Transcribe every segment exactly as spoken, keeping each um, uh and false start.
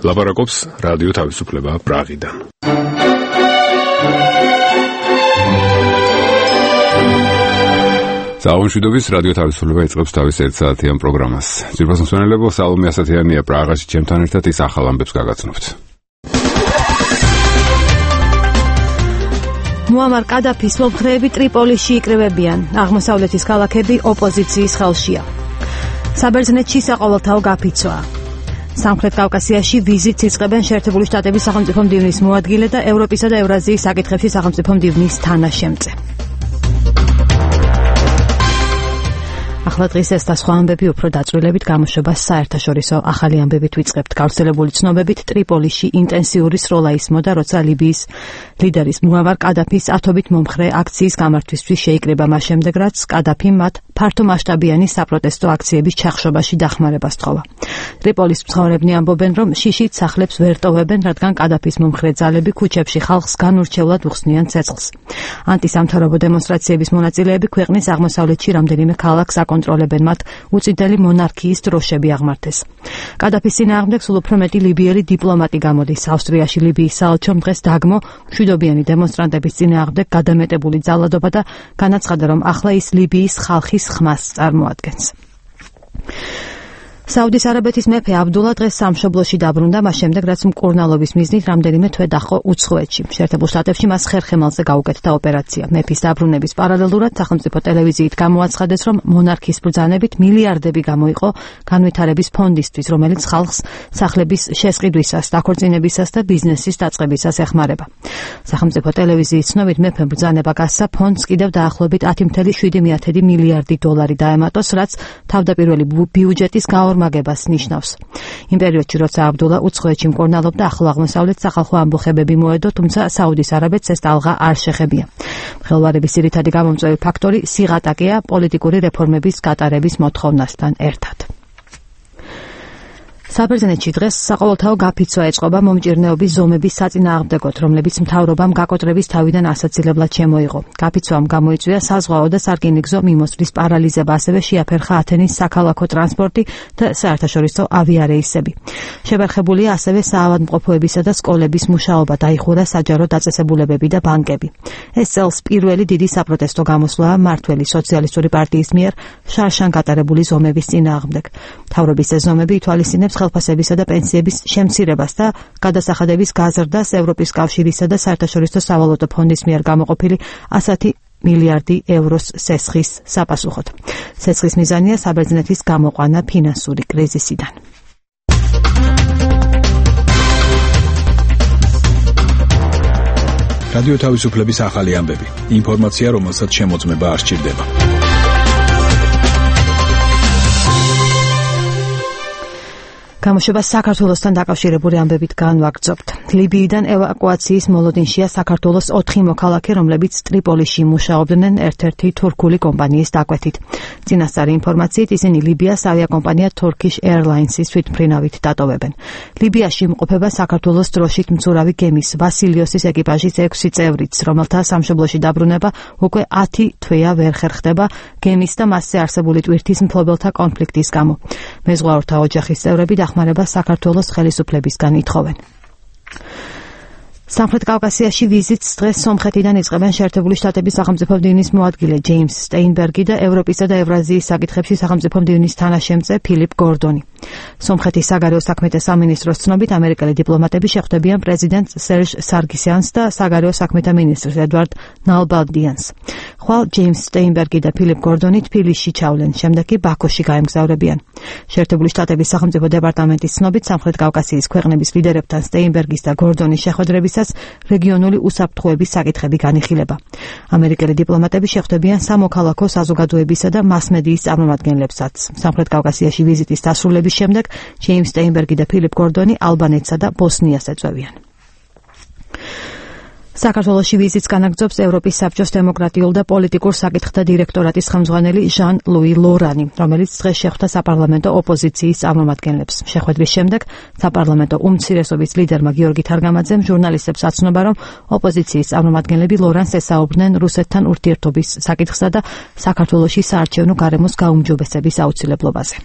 ლაპარაკობს რადიო თავისუფლება პრაღიდან. საუნშვიდობის რადიო თავისუფლება იწყებს თავის ერთსაათიან პროგრამას. ძირფას მსმენელებო, სალომე ასათიანია პრაღაში ჩემთან ერთად ის ახალ ამბებს გაგაცნობთ. მუამარ კადაფის მომხრეები ტრიპოლიში იკრიბებიან. აღმოსავლეთის ქალაქები ოპოზიციის ხელშია. საბერძნეთში საყოველთაო გაფიცვა. სამხრეთ კავკასიაში ვიზიტს იწყებენ შეერთებული შტატების სახელმწიფო მდივნის მოადგილე და ევროპისა და ევრაზიის საკითხებში სახელმწიფო მდივნის თანაშემწე. ახლა დღის ეს და სხვა ამბები უფრო დაწვრილებით გამოშვებას საერთაშორისო ახალი ამბებით ვიწყებთ. გავრცელებული ცნობებით ტრიპოლიში ინტენსიური სროლა ისმოდა, როცა ლიბიის ლიდერის მუამარ კადაფის ათობით მომხრე აქციის გამართვისთვის შეიკრიბა მას შემდეგ, რაც კადაფიმ მათ ფართომასშტაბიანი საპროტესტო აქციების ჩახშობაში დახმარებას თხოვა. ტრიპოლის მცხოვრებნი ამბობენ, რომ შიშით სახლებს ვერ ტოვებენ, რადგან კადაფის მომხრე ძალები ქუჩებში ხალხს განურჩევლად უხსნიან ცეცხლს. ანტისამთავრობო დემონსტრაციების მონაწილეები ქვეყნის აღმოსავლეთში რამდენიმე ქალაქს აკონტროლებენ, მათ უწიდელი მონარქიის დროშები აღმართეს. კადაფის წინააღმდეგ სულ უფრო მეტი ლიბიელი დიპლომატი გამოდის. ავსტრიაში ლიბიის საელჩომ დღეს დაგმო მშვიდობიანი დემონსტრანტების წინააღმდეგ გადამეტებული ძალადობა და განაცხადა, რომ ახლა ის ლიბიის ხალხის ხმას წარმოადგენს. საუდის არაბეთის მეფე აბდულა დღეს სამშობლოში დაბრუნდა, მას შემდეგ, რაც მკურნალობის მიზნით რამდენიმე თვე დაჰყო უცხოეთში. შეერთებულ შტატებში მას ხერხემალზე გაუკეთდა ოპერაცია. მეფის დაბრუნების პარალელურად სახელმწიფო ტელევიზიით გამოაცხადეს, რომ მონარქის ბრძანებით მილიარდები გამოიყო განვითარების ფონდისთვის, რომელიც ხალხს სახლების შესყიდვისას, დაქორწინებისას და ბიზნესის დაწყებისას ეხმარება. სახელმწიფო ტელევიზიის ცნობით მეფემ ბრძანება გასცა ფონდს კიდევ დაახლოებით ათი virgulă შვიდი მილიარდი დოლარი დაემატოს, რაც თავდაპირველი ბიუჯეტის გაორმაგებას ნიშნავს. იმ პერიოდში, როცა აბდულა უცხოეთში მკურნალობდა, ახლო აღმოსავლეთს სახალხო ამბოხებები მოედო, თუმცა საუდის არაბეთს ეს ტალღა არ შეხებია. მღელვარების ძირითადი გამომწვევი ფაქტორი სიღატაკეა პოლიტიკური რეფორმების გატარების მოთხოვნასთან ერთად. საბერძნეთში დღეს საყოველთაო გაფიცვა ეწყობა მომჭირნეობის ზომების საწინააღმდეგოდ, რომლებიც მთავრობამ გაკოტრების თავიდან ასაცილებლად შემოიღო. გაფიცვამ გამოიწვია საზღვაო და სარკინიგზო მიმოსვლის პარალიზება, ასევე შეაფერხა ათენის საქალაქო ტრანსპორტი და საერთაშორისო ავიარეისები. შებერხებულია ასევე საავადმყოფოებისა და სკოლების მუშაობა, დაიხურა საჯარო დაწესებულებები და ბანკები. ეს წელს პირველი დიდი საპროტესტო გამოსვლაა მმართველი სოციალისტური პარტიის მიერ შარშან გატარებული ზომების წინააღმდეგ. მთავრობის ეს ზომები ითვალისწინებს ხელფასებისა და პენსიების შემცირებას და გადასახადების გაზრდას ევროპის კავშირისა და საერთაშორისო სავალუტო ფონდის მიერ გამოყოფილი ასეთი მილიარდი ევროს სესხის საპასუხოდ. სესხის მიზანია საბერძნეთის გამოყვანა ფინანსური კრიზისიდან. რადიო თავისუფლების ახალი ამბები. ინფორმაცია, რომელსაც შემოწმება არ სჭირდება. გამოშვებას საქართველოსთან დაკავშირებული ამბებით განვაგრძობთ. ლიბიიდან ევაკუაციის მოლოდინშია საქართველოს ოთხი მოქალაქე, რომლებიც ტრიპოლიში მუშაობდნენ ერთ-ერთი თურქული კომპანიის დაკვეთით. წინასწარი ინფორმაციით ისინი ლიბიას ავიაკომპანია Turkish Airlines-ის თვითმფრინავით დატოვებენ. ლიბიაში იმყოფება საქართველოს დროშით მცურავი გემის ვასილიოსის ეკიპაჟის ექვსი წევრიც, რომელთა სამშობლოში დაბრუნება უკვე ათი თვეა ვერ ხერხდება გემის და მასზე არსებული ტვირთის მფლობელთა კონფლიქტის გამო. მეზღვაურთა ოჯახის წევრები დახმარება საქართველოს ხელისუფლებისგან ითხოვენ. სამხრეთ კავკასიაში ვიზიტს დღეს სომხეთიდან იწყებენ შეერთებული შტატების სახელმწიფო მდივნის მოადგილე ჯეიმს სტეინბერგი და ევროპისა და ევრაზიის საკითხებში სახელმწიფო მდივნის თანაშემწე ფილიპ გორდონი. სომხეთის საგარეო საქმეთა სამინისტროს ცნობით, ამერიკელი დიპლომატები შეხვდებიან პრეზიდენტ სერჟ სარგისიანს და საგარეო საქმეთა მინისტრს ედვარდ ნალბანდიანს. ხვალ ჯეიმს სტეინბერგი და ფილიპ გორდონი თბილისში ჩავლენ, შემდეგ კი ბაქოში გაემგზავრებიან. შეერთებული შტატების სახელმწიფო დეპარტამენტის ცნობით, სამხრეთ კავკასიის ქვეყნების ლიდერებთან სტეინბერგის და გორდონის შეხვედრებისას რეგიონული უსაფრთხოების საკითხები განიხილება. ამერიკელი დიპლომატები შეხვდებიან სამოქალაქო საზოგადოებისა და მასმედიის წარმომადგენლებსაც. სამხრეთ კავკასიაში ვიზიტის დასრულების შემდეგ ჯეიმს სტეინბერგი და ფილიპ გორდონი ალბანეთსა და ბოსნიას ეწევიან. საქართველოში ვიზიტს განაგრძობს ევროპის საბჭოს დემოკრატიულ და პოლიტიკურ საკითხთა დირექტორატის ხელმძღვანელი ჟან ლუი ლორანი, რომელიც დღეს შეხვდა საპარლამენტო ოპოზიციის წარმომადგენლებს. შეხვედრის შემდეგ საპარლამენტო უმცირესობის ლიდერმა გიორგი თარგამაძემ ჟურნალისტებს აცნობა, რომ ოპოზიციის წარმომადგენლები ლორანს ესაუბრნენ რუსეთთან ურთიერთობის საკითხსა და საქართველოში საარჩევნო გარემოს გაუმჯობესების აუცილებლობაზე.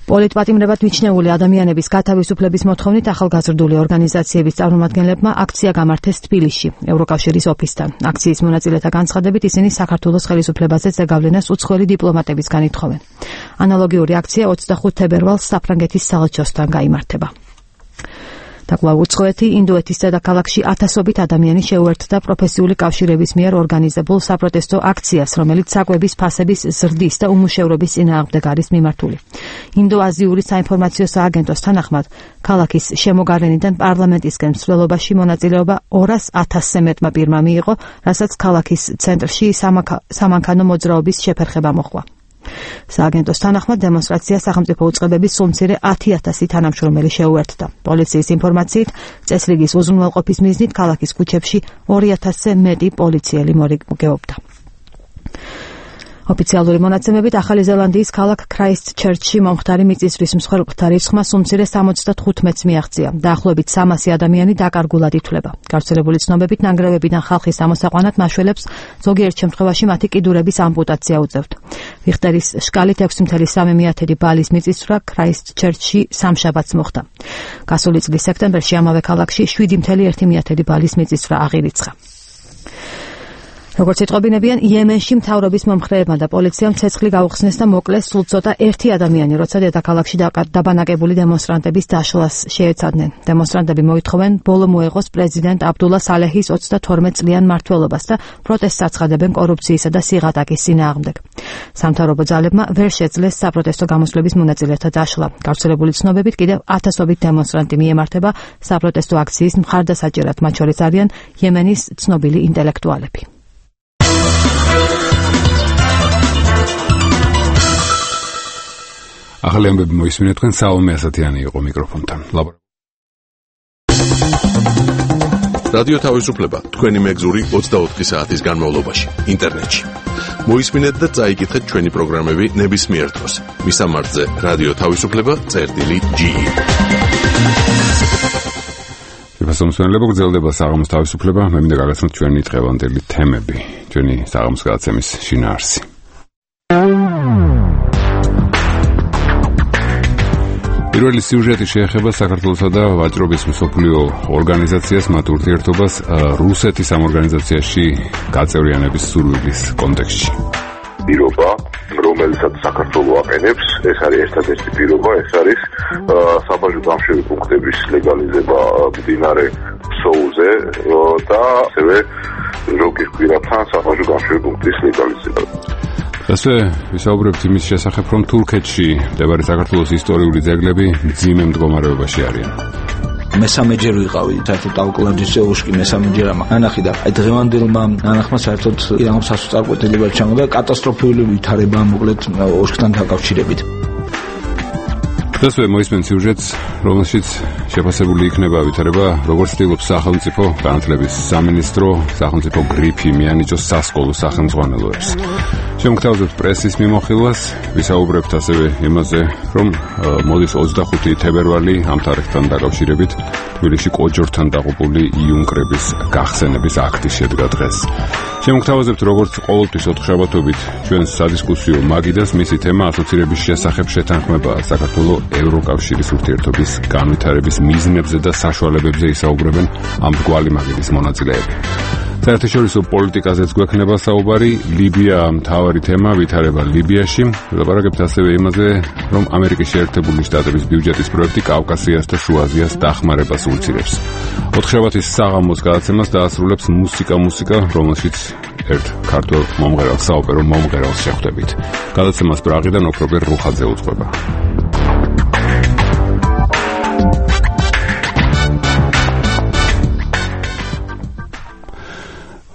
პოლიტპატიმრებად მიჩნეული ადამიანების გათავისუფლების მოთხოვნით ახალგაზრდული ორგანიზაციების წარმომადგენლებმა აქცია გამართეს თბილისში, ევროკავშირის ოფისთან. აქციის მონაწილეთა განცხადებით ისინი საქართველოს ხელისუფლებაზე ზეგავლენას უცხოელი დიპლომატებისგან ითხოვენ. ანალოგიური აქცია ოცდახუთ თებერვალს საფრანგეთის საელჩოსთან გაიმართება. დაკვლავ უცხოეთი ინდოეთის დედაქალაქში ათასობით ადამიანი შეუერთდა პროფესიული კავშირების მიერ ორგანიზებულ საპროტესტო აქციას, რომელიც საკვების ფასების ზრდის და უმუშევრობის წინააღმდეგ არის მიმართული. ინდო-აზიური საინფორმაციო სააგენტოს თანახმად, ქალაქის შემოგარენიდან პარლამენტისკენ მსვლელობაში მონაწილეობა ორას ათასზე მეტმა პირმა მიიღო, რასაც ქალაქის ცენტრში სამანქანო მოძრაობის შეფერხება მოჰყვა. სააგენტოს თანახმად დემონსტრაცია სახელმწიფო უწყებების სულ მცირე ათი ათასი თანამშრომელი შეუერთდა. პოლიციის ინფორმაციით, წესრიგის უზრუნველყოფის მიზნით ქალაქის ქუჩებში ორი ათასზე მეტი პოლიციელი მორიგებობდა. ოფიციალური მონაცემებით ახალი ზელანდიის ქალაქ ქრაისტჩერჩში მომხდარი მიწისძვრის მსხვერპლთა რიცხვმა სულ მცირე სამოცდათხუთმეტს მიაღწია. დაახლოებით სამასი ადამიანი დაკარგულად ითვლება. გავრცელებული ცნობებით ნანგრევებიდან ხალხის ამოსაყვანად მაშველებს ზოგიერთ შემთხვევაში მათი კიდურების ამპუტაცია უწევთ. რიხტერის შკალით ექვსი ათეული სამი ბალის მიწისძვრა ქრაისტჩერჩში სამშაბათს მოხდა. გასული წლის სექტემბერში ამავე ქალაქში შვიდი ათეული ერთი ბალის მიწისძვრა აღირიცხა. როგორც იტყობინებიან, იემენში მთავრობის მომხრეებმა და პოლიციამ ცეცხლი გაუხსნეს და მოკლეს სულ ცოტა ერთი ადამიანი, როცა დედაქალაქში დაბანაკებული დემონსტრანტების დაშლას შეეცადნენ. დემონსტრანტები მოითხოვენ ბოლო მოეღოს პრეზიდენტ აბდულა სალეჰის ოცდათორმეტ წლიან მმართველობას და პროტესტს აცხადებენ კორუფციისა და სიღატაკის წინააღმდეგ. სამთავრობო ძალებმა ვერ შეძლეს საპროტესტო გამოსვლების მონაწილეთა დაშლა. გავრცელებული ცნობებით კიდევ ათასობით დემონსტრანტი მიემართება საპროტესტო აქციის მხარდასაჭერად, მათ შორის არიან იემენის ცნობილი ინტელექტუალები. ახალი ამბები მოისმინეთ, თქვენ საომე ასათიანი იყო მიკროფონთან. რადიო თავისუფლება, თქვენი მეგზური ოცდაოთხი საათის განმავლობაში, ინტერნეტში. მოისმინეთ და წაიკითხეთ ჩვენი პროგრამები ნებისმიერ დროს. მისამართზე რადიო თავისუფლება წერტილი ჯი. შესაძლებლობა გრძელდება საღამოს თავისუფლება, მე მინდა გაგაცნოთ ჩვენი დღევანდელი თემები, ჩვენი საღამოს გადაცემის შინაარსი. პირველი სიუჟეტი შეეხება საქართველოსა და ვაჭრობის მსოფლიო ორგანიზაციას, მათ ურთიერთობას რუსეთის ამ ორგანიზაციაში გაწევრიანების სურვილის კონტექსტში. პირობა, რომელსაც საქართველო აყენებს, ეს არის ერთადერთი პირობა, ეს არის საბაჟო გამშვები პუნქტების ლეგალიზება მდინარე ფსოუზე და ასევე როკის კვირათან საბაჟო გამშვები პუნქტის ლეგალიზება. ასე ვისაუბრებთ იმის შესახებ, რომ თურქეთში მდებარე საქართველოს ისტორიული ძეგლები მძიმე მდგომარეობაში არიან. მესამეჯერ ვიყავი საერთოდ ტავკლაჯის ოლქში მესამეჯერ ანახი და აი დღევანდელმა ანახმა საერთოდ ირანულ სასწავლებლად ჩამოდა კატასტროფული ვითარება მოკლედ ოლქთან დაკავშირებით. ასე მოისმენთ სიუჟეტს, რომელშიც შეფასებული იქნება ვითარება, როგორც ცდილობს სახელმწიფო განათლების სამინისტრო, სახელმწიფო გრიფი მიანიჭოს სასკოლო სახელმძღვანელოებს. შემოგთავაზებთ პრესის მიმოხილვას, ვისაუბრებთ ასევე იმაზე, რომ მოდის ოცდახუთი თებერვალი ამ თარიღთან დაკავშირებით თბილისში კოჯორთან დაღუპული იუნკრების გახსენების აქტი შედგა დღეს. შემოგთავაზებთ, როგორც ყოველთვის ოთხშაბათობით ჩვენს სადისკუსიო მაგიდას, მისი თემა ასოცირების შესახებ შეთანხმება საქართველოს ევროკავშირის ურთიერთობის განვითარების მიზნებზე და საშუალებებზე ისაუბრებენ ამ მრგვალი მაგიდის მონაწილეები. საერთაშორისო პოლიტიკაზეც გვექნება საუბარი, ლიბია მთავარი თემა, ვითარება ლიბიაში. ვლაპარაკებთ ასევე იმაზე, რომ ამერიკის შეერთებული შტატების ბიუჯეტის პროექტი კავკასიას და შუა აზიას დახმარებას უწირებს. ოთხშაბათის საღამოს გადაცემას დაასრულებს მუსიკა მუსიკა, რომელშიც ერთ ქართველ მომღერალს, საოპერო მომღერალს შეხვდებით. გადაცემას პრაღიდან ოქრობერ რუხაძე უძღვება.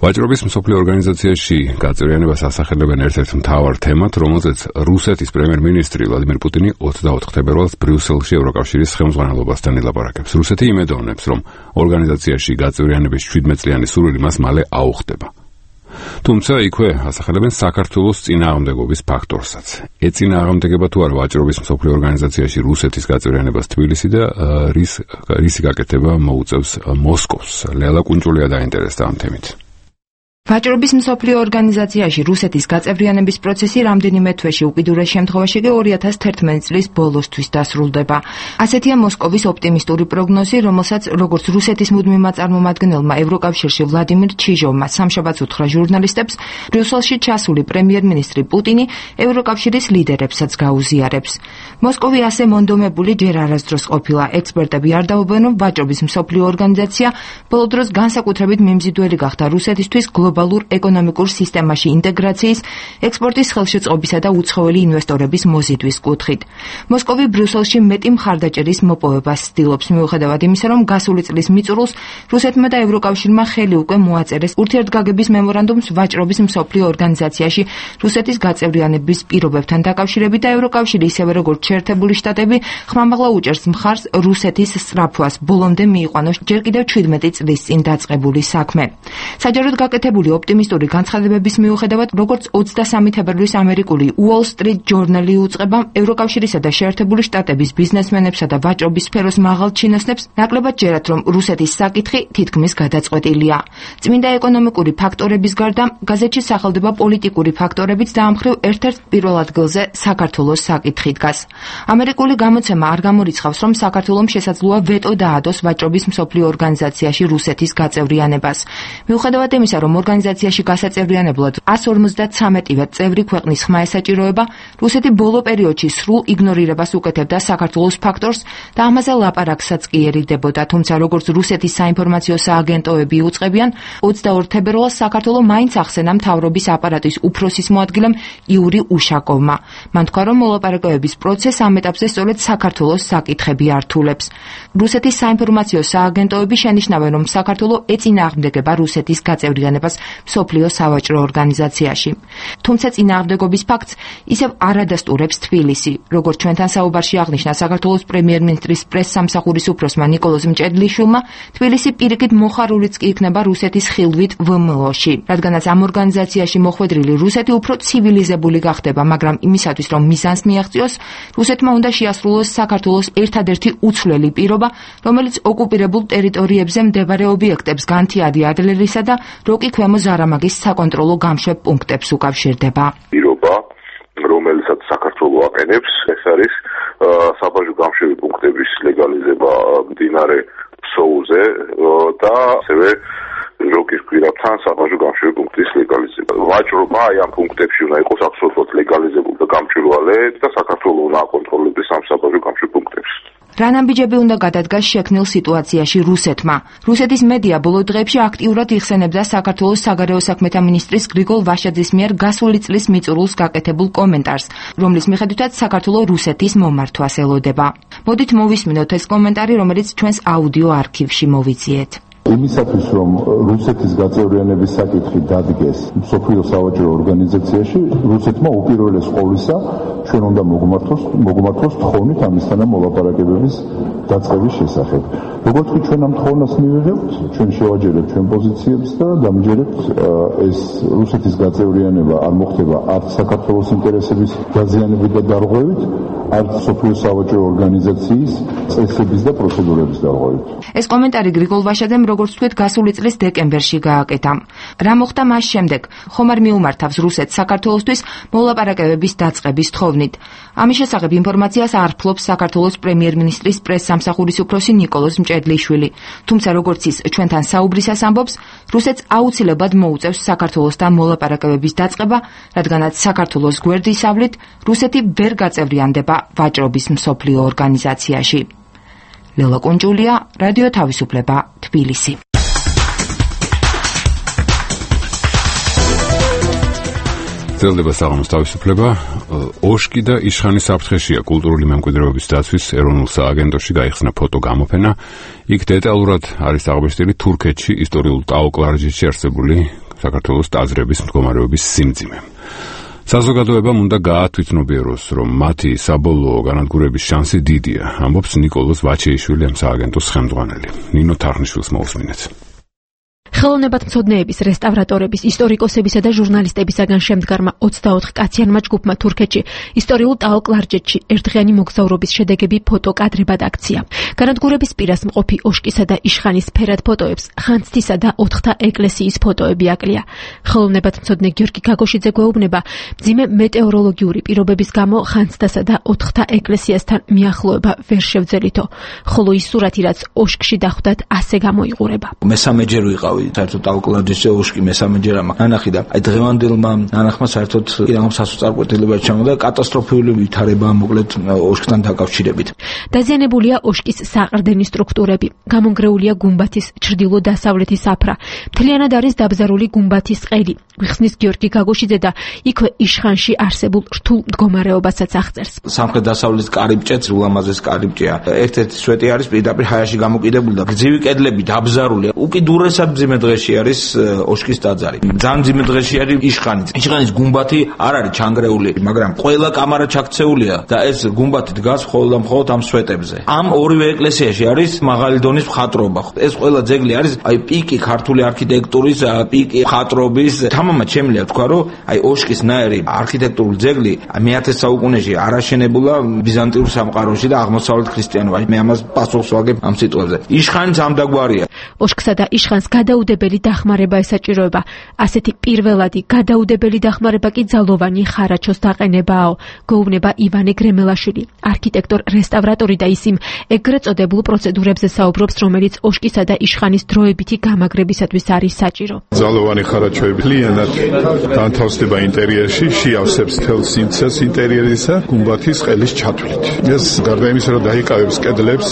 ვაჭრობის მსოფლიო ორგანიზაციაში გაწევრიანებას ასახელებენ ერთ-ერთ მთავარ თემად, რომელზეც რუსეთის პრემიერ-მინისტრი ვლადიმერ პუტინი ოცდაოთხ თებერვალს ბრიუსელში ევროკავშირის ხელმძღვანელობასთან ილაპარაკებს. რუსეთი იმედოვნებს, რომ ორგანიზაციაში გაწევრიანების შვიდმეტ წლიანი სურვილი მას მალე აუხდება. თუმცა იქვე ასახელებენ საქართველოს წინააღმდეგობის ფაქტორსაც. ეწინააღმდეგება თუ არა ვაჭრობის მსოფლიო ორგანიზაციაში რუსეთის გაწევრიანებას თბილისი და რის რისი გაკეთება მოუწევს მოსკოვს. ლელა კუნჭულია დაინტერესდა ამ თემით. ვაჭრობის მსოფლიო ორგანიზაციაში რუსეთის გაწევრიანების პროცესი რამდენიმე თვეში, უკიდურეს შემთხვევაში კი ორი ათას თერთმეტი წლის ბოლოსთვის დასრულდება. ასეთია მოსკოვის ოპტიმისტური პროგნოზი, რომელსაც როგორც რუსეთის მუდმივმა წარმომადგენელმა ევროკავშირში ვლადიმირ ჩიჟოვმა სამშაბათს უთხრა ჟურნალისტებს, ბრიუსელში ჩასული პრემიერ-მინისტრი პუტინი ევროკავშირის ლიდერებსაც გაუზიარებს. მოსკოვი ასე მონდომებული ჯერ არასდროს ყოფილა. ექსპერტები არ დაობენ, რომ ვაჭრობის მსოფლიო ორგანიზაცია ბოლო დროს განსაკუთრებით მიმზიდველი გახდა რუსეთისთვის გლობალურ ეკონომიკურ სისტემაში ინტეგრაციის, ექსპორტის ხელშეწყობისა და უცხოელი ინვესტორების მოზიდვის კუთხით. მოსკოვი ბრიუსელში მეტი მხარდაჭერის მოპოვებას ცდილობს, მიუხედავად იმისა, რომ გასული წლის მიწურულს რუსეთმა და ევროკავშირმა ხელი უკვე მოაწერეს ურთიერთგაგების მემორანდუმს ვაჭრობის მსოფლიო ორგანიზაციაში რუსეთის გაწევრიანების პირობებთან დაკავშირებით და ევროკავშირი ისევე როგორც შეერთებული შტატები ხმამაღლა უჭერს მხარს რუსეთის სწრაფვას ბოლომდე მიიყვანოს ჯერ კიდევ ჩვიდმეტი წლის წინ დაწყებული საქმე. საჯაროდ გაკეთებული ოპტიმისტური განცხადებების მიუხედავად, როგორც ოცდასამი თებერვლის ამერიკული Wall Street Journal-ი უწყება ევროკავშირისა და შეერთებული შტატების ბიზნესმენებსა და ვაჭრობის სფეროს მაღალ ჩინოსნებს, ნაკლებად ჯერათ, რომ რუსეთის საკითხი თითქმის გადაწყვეტილია. წმინდა ეკონომიკური ფაქტორების გარდა, გაზეთში სახელდება პოლიტიკური ფაქტორებიც და ამ მხრივ ერთ-ერთ პირველ ადგილზე საქართველოს საკითხი დგას. ამერიკული გამოცემა არ გამორიცხავს, რომ საქართველომ შესაძლოა ვეტო დაადოს ვაჭრობის მსოფლიო ორგანიზაციაში რუსეთის გაწევრიანებას. მიუხედავად იმისა, რომ ორგანიზაციაში გასაწევრიანებლად εκατს ორმოცდათვრამეტივე წევრი ქვეყნის ხმა ესაჭიროება, რუსეთი ბოლო პერიოდში სრულ იგნორირებას უკეთებდა საქართველოს ფაქტორს და ამაზე ლაპარაკსაც კი ერიდებოდა, თუმცა როგორც რუსეთის საინფორმაციო სააგენტოები უწყებიან, ოცდაორ თებერვალს საქართველო მაინც ახსენა მთავრობის აპარატის უფროსის მოადგილემ იური უშაკოვმა. მან თქვა, რომ მოლაპარაკებების პროცესს ამ ეტაპზე სწორედ საქართველოს საკითხები ართულებს. რუსეთის საინფორმაციო სააგენტოები შენიშნავენ, რომ საქართველო ეწინააღმდეგება რუსეთის გაწევრიანებას მსოფლიო სავაჭრო ორგანიზაციაში. თუმცა წინააღმდეგობის ფაქტს ისევ არ ადასტურებს თბილისი. როგორც ჩვენთან საუბარში აღნიშნა საქართველოს პრემიერ-მინისტრის პრესსამსახურის უფროსმა ნიკოლოზ მჭედლიშვილმა, თბილისი პირიქით მოხარულიც კი იქნება რუსეთის ხილვით вэ ემ ო-ში, რადგანაც ამ ორგანიზაციაში მოხვედრილი რუსეთი უფრო ცივილიზებული გახდება, მაგრამ იმისათვის, რომ მიზანს მიაღწიოს, რუსეთმა უნდა შეასრულოს საქართველოს ერთადერთი უცვლელი პირობა, რომელიც ოკუპირებულ ტერიტორიებზე მდებარე ობიექტებს განთიადი ადლერისა და როკი ქვემო ზარამაგის საკონტროლო გამშვებ პუნქტებს უკავშირდება. პირობა, რომელსაც საქართველო აყენებს, ეს არის საბაჟო გამშვები პუნქტების ლეგალიზება მდინარე ფსოუზე და ასევე როკის გვირაბთან საბაჟო გამშვები პუნქტის ლეგალიზება. ვაჭრობა აი ამ პუნქტებში უნდა იყოს აბსოლუტურად ლეგალიზებული და გამჭვირვალე და საქართველო უნდა აკონტროლებს ამ საბაჟო გამშვებ პუნქტებს. რა ნაბიჯები უნდა გადადგას შექმნილ სიტუაციაში რუსეთმა? რუსეთის მედია ბოლო დღეებში აქტიურად იხსენებდა საქართველოს საგარეო საქმეთა მინისტრის გრიგოლ ვაშაძის მიერ გასული წლის მიწურულს გაკეთებულ კომენტარს, რომლის მიხედვითაც საქართველო რუსეთის მომართვას ელოდება. მოდით მოვისმინოთ ეს კომენტარი, რომელიც ჩვენს აუდიო არქივში მოვიძიეთ. იმისათვის, რომ რუსეთის გაწევრიანების საკითხი დადგეს მსოფლიო სავაჭრო ორგანიზაციაში, რუსეთმა უპირველეს ყოვლისა ჩვენ უნდა მოგმართოს, მოგმართოს თხოვნით ამისთან მოლაპარაკებების დაწყების შესახებ. როგორც კი ჩვენ ამ თხოვნას მივიღებთ, ჩვენ შევაჯერებთ ჩვენ პოზიციებს და დამჯერებთ ეს რუსეთის გაწევრიანება არ მოხდება არც საქართველოს ინტერესების დაზიანებით და დარღვევით, არც მსოფლიო სავაჭრო ორგანიზაციის წესების და პროცედურების დარღვევით. ეს კომენტარი გრიგოლ ვაშაძემ როგორც თქვით, გასული წლის დეკემბერში გააკეთა. რა მოხდა მას შემდეგ? ხომ არ მიუმართავს რუსეთს საქართველოსთვის მოლაპარაკებების დაწყების თხოვნით? ამის შესახებ ინფორმაციას არ ფლობს საქართველოს პრემიერ-მინისტრის პრესსამსახურის უფროსი ნიკოლოზ მჭედლიშვილი. თუმცა როგორც ის ჩვენთან საუბრისას ამბობს, რუსეთს აუცილებლად მოუწევს საქართველოსთან მოლაპარაკებების დაწყება, რადგანაც საქართველოს გვერდისავლით რუსეთი ვერ გაწევრიანდება ვაჭრობის მსოფლიო ორგანიზაციაში. ლელა კუნჯულია, რადიო თავისუფლება, თბილისი. ძელდება საღამოს თავისუფლება. ოშკი და იშხანის საფრთხეშია კულტურული მემკვიდრეობის დაცვის ეროვნულ სააგენტოში გაიხსნა ფოტოგამოფენა. იქ დეტალურად არის აღბეჭდილი თურქეთში ისტორიულ ტაო-კლარჯეთში არსებული საქართველოს ტაძრების მდგომარეობის სიმძიმე. საზოგადოებამ უნდა გაათვითნობიეროს, რომ მათი საბოლოო განადგურების შანსი დიდია, ამბობს ნიკოლოზ ვაჩეიშვილი, ამ სააგენტოს ხელმძღვანელი. ნინო თარხნიშვილს მოусმინეთ. ხელოვნებათმცოდნეების, რესტავრატორების, ისტორიკოსებისა და ჟურნალისტებისაგან შემდგარმა ოცდაოთხ კაციანმა ჯგუფმა თურქეთში ისტორიულ ტაო-კლარჯეთში ერთდღიანი მოგზაურობის შედეგები ფოტოკადრებად აქცია. განადგურების პირას მყოფი ოშკისა და იშხანის ფერად ფოტოებს ხანძთისა და ოთხთა ეკლესიის ფოტოები აკლია. ხელოვნებათმცოდნე გიორგი გაგოშიძე გვეუბნება, მძიმე მეტეოროლოგიური პირობების გამო ხანძთასა და ოთხთა ეკლესიასთან მიახლოება ვერ შევძელითო, ხოლო ის სურათი, რაც ოშკში დახვდათ, ასე გამოიყურება. მესამეჯერ ვიყავი, საერთოდ ტაუკლარჯეთზე ოშკი მესამეჯერ ამა ანახი და აი დღევანდელმა ანახმა საერთოდ ირანოს სასწრაფოებრივად ჩამოდა კატასტროფული ვითარება მოკლედ ოშკთან დაკავშირებით. დაზიანებულია ოშკის საყრდენი სტრუქტურები, გამონგრეულია გუმბათის ჩრდილო-დასავლეთის საფრა, მთლიანად არის დაბზარული გუმბათის ყელი. გვიხსნის გიორგი გაგოშიძე და იქვე იშხანში არსებულ რთულ მდგომარეობასაც აღწერს. სამხრეთ-დასავლეთის კარიბჭეც ულამაზეს კარიბჭეა. ერთ-ერთი სვეტი არის პირდაპირ ჰაერში გამოკიდებული და გრძივი კედლები დაბზარულია. უკიდურესად მძიმე დღეში არის ოშკის ტაძარი. ძალიან მძიმე დღეში არის იშხანი. იშხანის გუმბათი არ არის ჩანგრეული, მაგრამ ყველა კამარა ჩაქცეულია და ეს გუმბათი დგას მხოლოდ და მხოლოდ ამ სვეტებზე. ამ ორივე ეკლესიაში არის მაღალი დონის მხატვრობა. ეს ყველა ძეგლი არის აი პიკი ქართული არქიტექტურის, პიკი მხატვრობის. თამამად შემიძლია თქვა, რომ აი ოშკის ნაირი არქიტექტურული ძეგლი მეათე საუკუნეში არაშენებულა ბიზანტიურ სამყაროში და აღმოსავლეთ ქრისტიანობაში. მე ამას პასუხს ვაგებ ამ სიტყვებზე. იშხანიც ამ დაგვარია. ოშკსა და იშხანს გადაუდებელი დახმარება ესაჭიროება. ასეთი პირველადი გადაუდებელი დახმარება კი ძალოვანი ხარაჩოს დაყენებაო, გვეუბნება ივანე გრემელაშვილი, არქიტექტორ რესტავრატორი და ის იმ ეგრეთ წოდებულ პროცედურებზე საუბრობს, რომელიც ოშკისა და იშხანის დროებითი გამაგრებისათვის არის საჭირო. ძალოვანი ხარაჩოები ლიანად განთავსდება ინტერიერში, შეავსებს თელ სიმცეს ინტერიერისა გუმბათის ყელის ჩათვლით. ეს გარდა იმისა, რომ დაიკავებს კედლებს,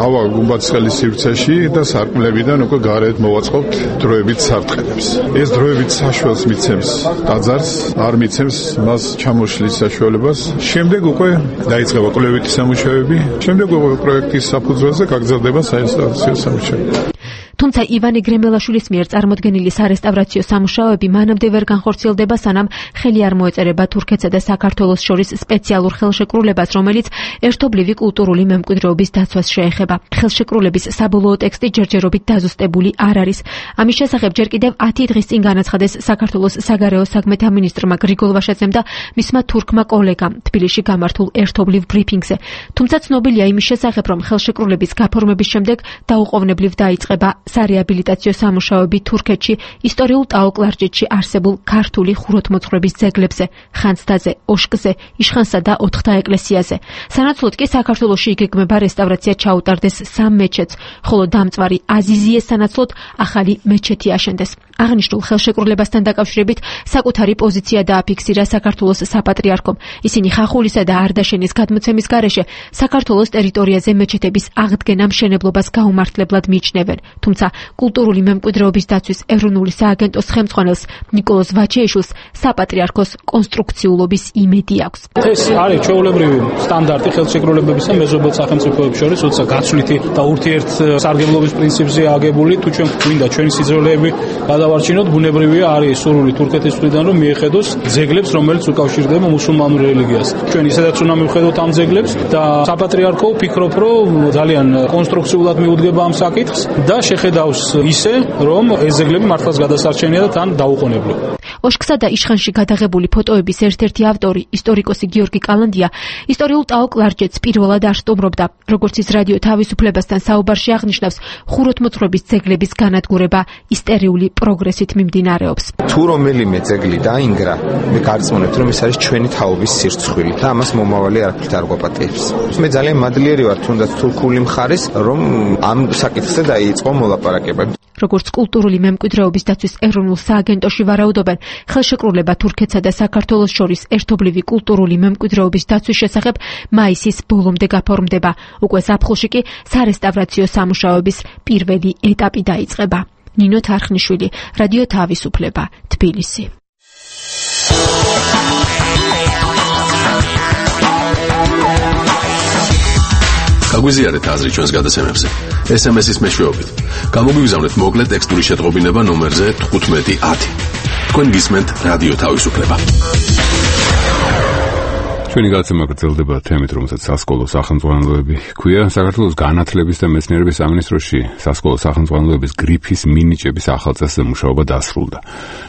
ავა გუმბათის ყელის სივრცეში და სარკმლებიდან უკვე გარეთ მოვაწყობთ დროებით სარტყელებს. ეს დროებით საშუალს მიცემს ტაძარს, არ მიცემს მას ჩამოშლის საშუალებას. შემდეგ უკვე დაიწყება კვლევითი სამუშაოები, შემდეგ უკვე პროექტის საფუძველზე გაგრძელდება საინსტალაციო სამუშაოები. თუმცა ივანე გრემელაშვილის მიერ წარმოდგენილი სარესტავრაციო სამუშაოები მანამდე ვერ განხორციელდება, სანამ ხელი არ მოეწერება თურქეთსა და საქართველოს შორის სპეციალურ ხელშეკრულებას, რომელიც ერთობლივი კულტურული მემკვიდრეობის დაცვას შეეხება. ხელშეკრულების საბოლოო ტექსტი ჯერჯერობით დაზუსტებული არ არის. ამის შესახებ ჯერ კიდევ ათი დღის წინ განაცხადეს საქართველოს საგარეო საქმეთა მინისტრმა გრიგოლ ვაშაძემ და მისმა თურქმა კოლეგამ თბილისში გამართულ ერთობლივ ბრიფინგზე. თუმცა ცნობილია იმის შესახებ, რომ ხელშეკრულების გაფორმების შემდეგ დაუყოვნებლივ დაიწყება სარეაბილიტაციო სამუშაოები თურქეთში, ისტორიულ ტაო-კლარჯეთში არსებულ ქართული ხუროთმოძღვრების ძეგლებზე, ხანძთაზე, ოშკზე, იშხანსა და ოთხთა ეკლესიაზე. სანაცვლოდ კი საქართველოში იგეგმება რესტავრაცია ჩაუტარდეს სამ მეჩეთს, ხოლო დამწვარი აზიზიეს სანაცვლოდ ახალი მეჩეთი აშენდეს. აღნიშნულ ხელშეკრულებასთან დაკავშირებით საკუთარი პოზიცია დააფიქსირა საქართველოს საპატრიარქომ. ისინი ხახულისა და არდაშენის გადმოცემის გარეშე საქართველოს ტერიტორიაზე მეჩეთების აღდგენა მშენებლობას გაუმართლებლად მიიჩნევენ. თუმცა კულტურული მემკვიდრეობის დაცვის ეროვნული სააგენტოს ხელმძღვანელს ნიკოლოზ ვაჩეიშვილს საპატრიარქოს კონსტრუქციულობის იმედი აქვს. ეს არის ჩვეულებრივი სტანდარტი ხელშეკრულებებისა მეზობელ სახელმწიფოებს შორის, როცა გაცვლითი და ურთიერთსარგებლობის პრინციპზე აგებული, თუ ჩვენ გვინდა ჩვენი სიძველეები გადავარჩინოთ, ბუნებრივია არის სურვილი თურქეთის მხრიდან, რომ მიეხედოს ძეგლებს, რომელიც უკავშირდება მუსულმანურ რელიგიას. ჩვენ ისედაც უნდა მივხედოთ ამ ძეგლებს და საპატრიარქო ვფიქრობ, რომ ძალიან კონსტრუქციულად მიუდგება ამ საკითხს და შეხედავს ისე, რომ ეს ძეგლები მართლაც გადასარჩენია და თან დაუყოვნებლივ. ოშკსა და იშხანში გადაღებული ფოტოების ერთ-ერთი ავტორი, ისტორიკოსი გიორგი კალანდია, ისტორიულ ტაო-კლარჯეთს პირველად არ სტუმრობდა. როგორც ის რადიო თავისუფლებასთან საუბარში აღნიშნავს, ხუროთმოძღვრების ძეგლების განადგურება ისტერიული პროგრესით მიმდინარეობს. თუ რომელიმე ძეგლი დაინგრა, მე გარწმუნებთ, რომ ეს არის ჩვენი თაობის სირცხვილი და ამას მომავალი არაფრით არ გვაპატიებს. მე ძალიან მადლიერი ვარ თუნდაც თურქული მხარის, რომ ამ საკითხზე დაიწყო მოლაპარაკება. როგორც კულტურული მემკვიდრეობის დაცვის ეროვნულ სააგენტოში ვარაუდობენ, ხელშეკრულება თურქეთსა და საქართველოს შორის ერთობლივი კულტურული მემკვიდრეობის დაცვის შესახებ მაისის ბოლომდე გაფორმდება. უკვე ზაფხულში კი სარესტავრაციო სამუშაოების პირველი ეტაპი დაიწყება. ნინო თარხნიშვილი, რადიო თავისუფლება, თბილისი. გაგვიზიარეთ აზრი ჩვენს გადაცემებზე. ეს ემ ეს-ის მეშვეობით. გამოგვიგზავნეთ მოკლე ტექსტური შეტყობინება ნომერზე თხუთმეტი ათი. თქვენ გისმენთ რადიო თავისუფლება. ჩვენი გადაცემა გრძელდება თემით, რომელსაც სასკოლო სახელმძღვანელოები ჰქვია. საქართველოს განათლების და მეცნიერების სამინისტროში სასკოლო სახელმძღვანელოების გრიფის მინიჭების ახალწესზე მუშაობა დასრულდა.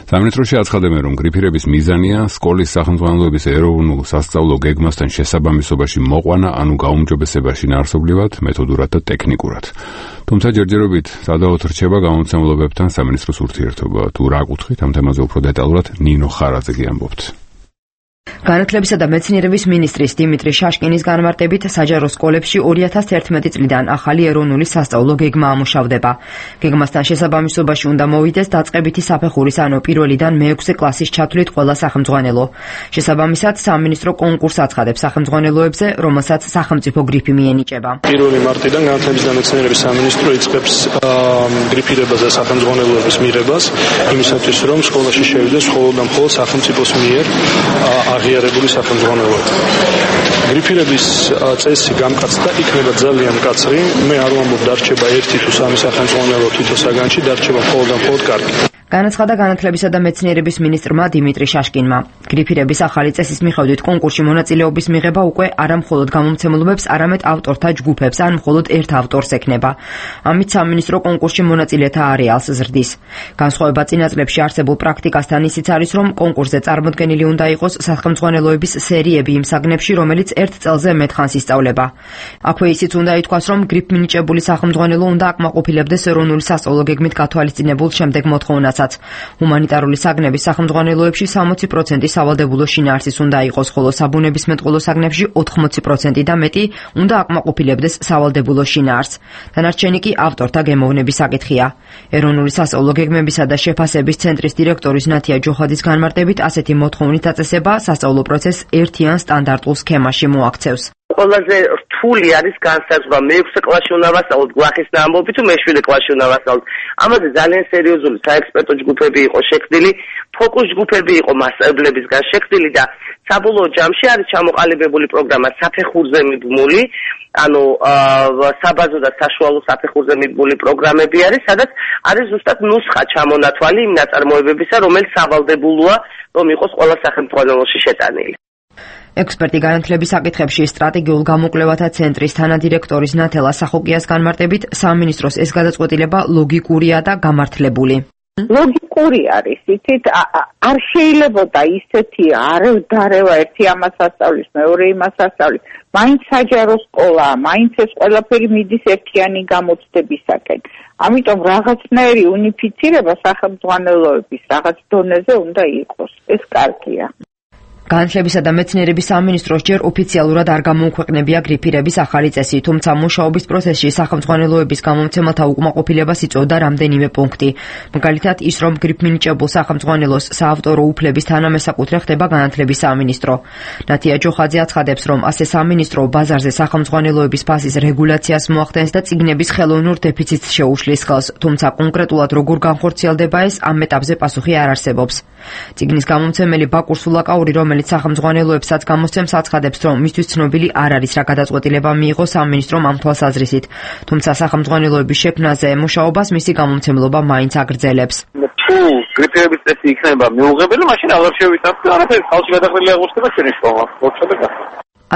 სამინისტროში აცხადებენ, რომ გრიფირების მიზანია სკოლის სახელმძღვანელოების ეროვნულ სასწავლო გეგმასთან შესაბამისობაში მოყვანა, ანუ გაუმჯობესება შინაარსობრივად, მეთოდურად და ტექნიკურად. თუმცა ჯერჯერობით სადავოდ რჩება გამომცემლობებთან სამინისტროს ურთიერთობა. თუ რა კუთხით, ამ თემაზე უფრო დეტალურად ნინო ხარაძე გიამბობთ. განათლებისა და მეცნიერების მინისტრის დიმიტრი შაშკინის განმარტებით საჯარო სკოლებში ორი ათას ერთმეტი წლიდან ახალი ეროვნული სასწავლო გეგმა ამუშავდება. გეგმასთან შესაბამისობაში უნდა მოვიდეს დაწყებითი საფეხურის, ანუ პირველიდან მეექვსე კლასის ჩათვლით ყველა სახელმძღვანელო. შესაბამისად, სამინისტრო კონკურსს აცხადებს სახელმძღვანელოებზე, რომელსაც სახელმწიფო გრიფი მიენიჭება. პირველი მარტიდან განათლების და მეცნიერების სამინისტრო იწყებს გრიფირებას და სახელმძღვანელოების მიღებას, იმისათვის, რომ სკოლაში შევიდეს მხოლოდ და მხოლოდ სახელმწიფოს მიერ აღიარებული სახელმძღვანელოები. გრიფირების წესი გამკაცდა, იქნება ძალიან მკაცრი. მე არ ვამბობ დარჩება ერთი თუ სამი სახელმძღვანელო თითო საგანში, დარჩება მხოლოდ და მხოლოდ კარგი. განაცხადა განათლებისა და მეცნიერების მინისტრმა დიმიტრი შაშკინმა. გრიფირების ახალი წესის მიხედვით კონკურსში მონაწილეობის მიღება უკვე არა მხოლოდ გამომცემლობებს, არამედ ავტორთა ჯგუფებს, ან მხოლოდ ერთ ავტორს ექნება. ამით სამინისტრო კონკურსში მონაწილეთა არეალს ზრდის. განსხვავება წინა წლებში არსებულ პრაქტიკასთან ისიც არის, რომ კონკურსზე წარმოდგენილი უნდა იყოს სახელმძღვანელოების სერიები იმ საგნებში, რომელიც ერთ წელზე მეტ ხანს ისწავლება. აქვე ისიც უნდა ითქვას, რომ გრიფ მინიჭებული სახელმძღვანელო უნდა აკმაყოფილებდეს ეროვნული სასწავლო გეგმით გათვალისწინებულ შემდეგ მოთხოვნას. ჰუმანიტარული საგნების სახელმძღვანელოებში სამოცი პროცენტი სავალდებულო შინაარსის უნდა იყოს, ხოლო საბუნებისმეტყველო საგნებში ოთხმოცი პროცენტი და მეტი უნდა აკმაყოფილებდეს სავალდებულო შინაარსს. დანარჩენი კი ავტორთა გემოვნების საკითხია. ეროვნული სასწავლო გეგმებისა და შეფასების ცენტრის დირექტორის ნათია ჯოხაძის განმარტებით, ასეთი მოთხოვნით აწესება სასწავლო პროცესს ერთიან სტანდარტულ სქემაში მოაქცევს. ყველაზე რთული არის განსაზღვრა მეექვსე კლასში უნდა ვასწავლოთ გვახის ამბობი თუ მეშვიდე კლასში უნდა ვასწავლოთ. ამაზე ძალიან სერიოზული საექსპერტო ჯგუფები იყო შექმნილი, ფოკუს ჯგუფები იყო მასწავლებლებისგან შექმნილი და საბოლოო ჯამში არის ჩამოყალიბებული პროგრამა საფეხურზე მიბმული, ანუ საბაზო და საშუალო საფეხურზე მიბმული პროგრამები არის, სადაც არის ზუსტად ნუსხა ჩამონათვალი იმ ნაწარმოებებისა, რომელიც სავალდებულოა, რომ იყოს ყველა სახელმძღვანელოში შეტანილი. ექსპერტი განათლების საკითხებში სტრატეგიულ გამოკვლევათა ცენტრის თანადირექტორის ნათელა სახოკიას განმარტებით, სამინისტროს ეს გადაწყვეტილება ლოგიკურია და გამართლებული. ლოგიკური არის, იცით, არ შეიძლებოდა ისეთი არევდარევა ერთი ამას ასწავლის, მეორე იმას ასწავლის. მაინც საჯარო სკოლაა, მაინც ეს ყველაფერი მიდის ერთიანი გამოცდებისაკენ. ამიტომ რაღაცნაირი უნიფიცირება სახელმძღვანელოების რაღაც დონეზე უნდა იყოს. ეს კარგია. განათლებისა და მეცნიერების სამინისტროს ჯერ ოფიციალურად არ გამოუქვეყნებია გრიფირების ახალი წესი, თუმცა მუშაობის პროცესში სახელმძღვანელოების გამომცემელთა უკმაყოფილებას იწვევდა რამდენიმე პუნქტი. მაგალითად, ის რომ გრიფ მინიჭებულ სახელმძღვანელოს საავტორო უფლების თანამესაკუთრე ხდება განათლების სამინისტრო. ნათია ჯოხაძე აცხადებს, რომ ასე სამინისტრო ბაზარზე სახელმძღვანელოების ფასის რეგულაციას მოახდენს და წიგნების ხელოვნურ დეფიციტს შეუშლის ხელს, თუმცა კონკრეტულად როგორ განხორციელდება ეს, ამ ეტაპზე პასუხი არ არსებობს. წიგნის გამომცემელი ბაკურ სულაკაური, რომელიც სახელმძღვანელოებსაც გამოსცემს, აცხადებს, რომ მისთვის ცნობილი არ არის რა გადაწყვეტილება მიიღო სამინისტრომ ამ თვალსაზრისით, თუმცა სახელმძღვანელოების შექმნაზე მუშაობას მისი გამომცემლობა მაინც აგრძელებს. თუ გრიფირების წესი იქნება მიუღებელი, მაშინ აღარ შევიტანხმდეთ, არაფერი ხალხი გადაყრილი აღმოჩნდება ჩვენი შრომა. მოწოდება.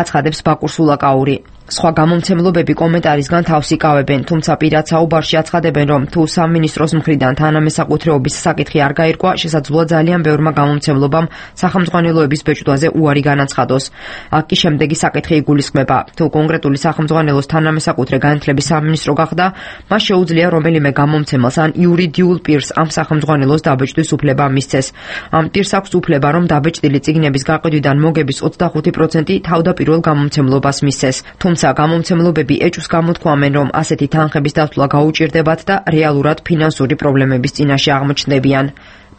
აცხადებს ბაკურ სულაკაური. სხვა გამომცემლობები კომენტარისგან თავს იკავებენ, თუმცა პირად საუბარში აცხადებენ, რომ თუ სამინისტროს მხრიდან თანამესაკუთრეობის საკითხი არ გაირკვა, შესაძლოა ძალიან ბევრმა გამომცემლობამ სახელმძღვანელოების ბეჭდვაზე უარი განაცხადოს. აქ კი შემდეგი საკითხი იგულისხმება: თუ კონკრეტული სახელმძღვანელოს თანამესაკუთრე განათლების სამინისტრო გახდა, მას შეუძლია რომელიმე გამომცემელს ან იურიდიულ პირს ამ სახელმძღვანელოს დაბეჭდვის უფლება მისცეს. ამ პირს აქვს უფლება, რომ დაბეჭდილი წიგნების გაყიდვიდან მოგების ოცდახუთი პროცენტი თავდაპირველ გამომცემლობას მისცეს. თუმცა გამომცემლობები ეჭვს გამოთქვამენ, რომ ასეთი თანხების დათვლა გაუჭირდებათ და რეალურად ფინანსური პრობლემების წინაშე აღმოჩნდებიან.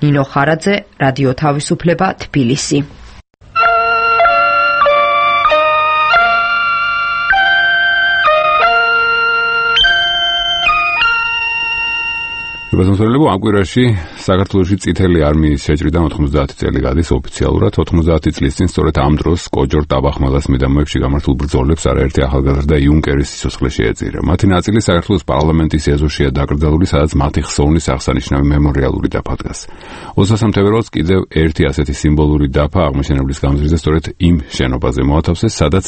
ნინო ხარაძე, რადიო თავისუფლება, თბილისი. რებაზმოსლებო ამ კვირაში საქართველოში წითელი არმიის შეჭრიდან ოთხმოცდაათი წელი გადის ოფიციალურად. ოთხმოცდაათი წლის წინ სწორედ ამ დროს კოჯორ ტაბახმალას მიდამოებში გამართულ ბრძოლებს არაერთი ახალგაზრდა იუნკერის სიცოცხლე შეეწირა. მათი ნაწილი საქართველოს პარლამენტის ეზოშია დაკრძალული, სადაც მათი ხსოვნის აღსანიშნავი მემორიალური დაფა დგას. ოცდაათი თებერვალს კიდევ ერთი ასეთი სიმბოლური დაფა აღმაშენებლის გამზირზე სწორედ იმ შენობაზე მოათავსეს, სადაც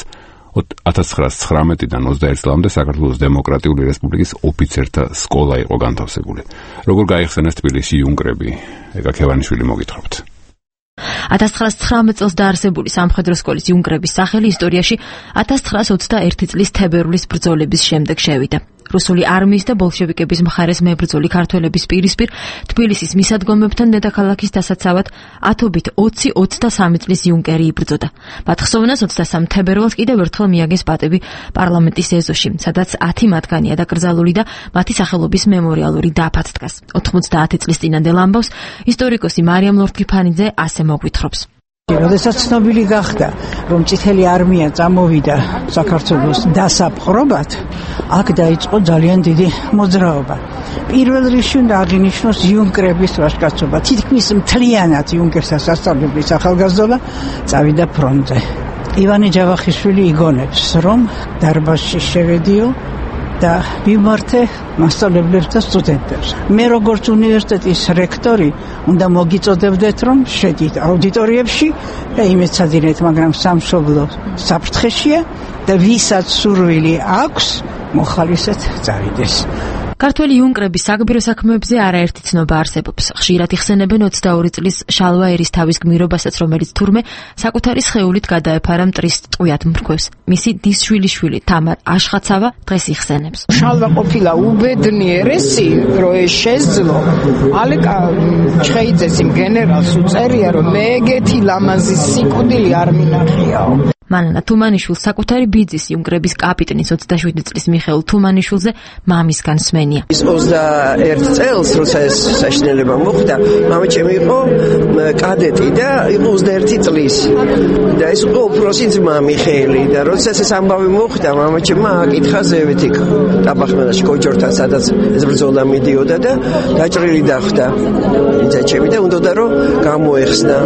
ათას ცხრაასი ცხრამეტიდან ოცდაერთი წლამდე საქართველოს დემოკრატიული რესპუბლიკის ოფიცერთა სკოლა იყო განთავსებული. როგორ გაიხსენეს თბილისში იუნკრები? ეკა ქევანიშვილი მოგითხრობთ. ათას ცხრაასი ცხრამეტ წელს დაარსებული სამხედრო სკოლის იუნკრების სახელი ისტორიაში ათას ცხრაასი ოცდაერთი წლის თებერვლის ბრძოლების შემდეგ შევიდა. რუსული არმიის და ბოლშევიკების მხარეს მებრძოლი ქართველების პირისპირ თბილისის მისადგომებთან დედაქალაქის დასაცავად ათობით ოცი ოცდასამი წლის იუნკერი იბრძოდა. მათ ხსოვნას ოცდასამი თებერვალს კიდევ ერთხელ მიაგეს პატები პარლამენტის ეზოში, სადაც ათი მათგანია დაკრძალული და მათი სახელობის მემორიალური დაფაც დგას. ოთხმოცდაათი წლის წინანდელ ამბავს ისტორიკოსი მარიამ ლორთქიფანიძე ასე მოგვითხრობს. როდესაც ცნობილი გახდა, რომ წითელი არმია წამოვიდა საქართველოს დასაპყრობად, აქ დაიწყო ძალიან დიდი მოძრაობა. პირველ რიგში უნდა აღინიშნოს იუნკრების ვაჟკაცობა. თითქმის მთლიანად იუნკერთა სასწავლებლის ახალგაზრდობა წავიდა ფრონტზე. ივანე ჯავახიშვილი იგონებს, რომ დარბაზში შევედიო და მიმართე მასწავლებლებს და სტუდენტებს. მე როგორც უნივერსიტეტის რექტორი უნდა მოგიწოდებდეთ, რომ შედით აუდიტორიებში და იმეცადინეთ, მაგრამ სამშობლო საფრთხეშია და ვისაც სურვილი აქვს, მოხალისეთ წავიდეს. ქართველი იუნკრების საგბირო საქმეებზე არაერთი ცნობა არსებობს. ხშირად იხსენებენ ოცდაორი წლის შალვა ერისთავის გმირობასაც, რომელიც თურმე საკუთარი სხეულით გადაეფარა მტრის ტყვიად მრქვევს. მისი დისშვილიშვილი თამარ აშხაცავა დღეს იხსენებს. შალვა ყოფილა უბედნიერესი, რო ეს შეძლო. ალეკა ჩხეიძეს იმ გენერალს უწერია, რომ მე ეგეთი ლამაზი სიკვდილი არ მინახიაო. მანანა თუმანიშვილს საკუთარი ბიძის იუნკრების კაპიტნის ოცდაშვიდი წლის მიხეილ თუმანიშვილზე მამისგან სმენია. ის ოცდაერთი წელს, როცა ეს საშინელება მოხდა, მამაჩემი იყო კადეტი და იყო ოცდაერთი წლის. და ეს იყო უფროსი ძმა მიხეილი და როცა ეს ამბავი მოხდა, მამაჩემმა აკითხა ზევით იქ ტაბახმელაში კოჯორთან, სადაც ეს ბრძოლა მიდიოდა და დაჭრილი დახვდა. ძაჩემი და უნდა რომ გამოეხსნა.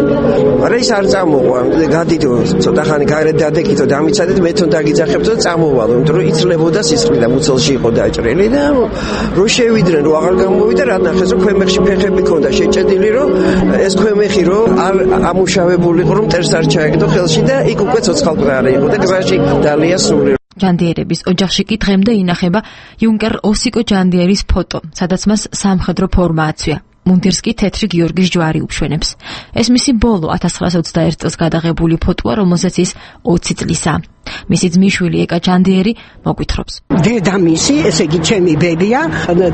მაგრამ ის არ წამოყვა. გადიდო ცოტა ხანი დადეკითო და ამიცადეთ მე თვითონ დაგიძახებდო და წამოვალო, იმიტომ რომ იცლებოდა სისხლი და მუცელში იყო დაჭრილი და რო შევიდნენ, რო აღარ გამოვიდა, რა ნახეს, რომ ქვემეხში ფეხები ქონდა შეჭედილი, რომ ეს ქვემეხი რო არ ამუშავებული იყო, რომ მტერს არ ჩაეგდო ხელში და იქ უკვე ცოცხალყრარი იყო და გზაში დალია სული. ჯანდიერების ოჯახში კი დღემდე ინახება იუნკერ ოსიკო ჯანდიერის ფოტო, სადაც მას სამხედრო ფორმა აცვია. მუნდირს კი თეთრი გიორგის ჯვარი უშვენებს. ეს მისი ბოლო ათას ცხრაასი ოცდაერთი წელს გადაღებული ფოტოა, რომელზეც ის ოცი წლისაა. მისი ძმისშვილი ეკა ჯანდიერი მოგვითხრობს. დედამისი, ესე იგი ჩემი ბებია,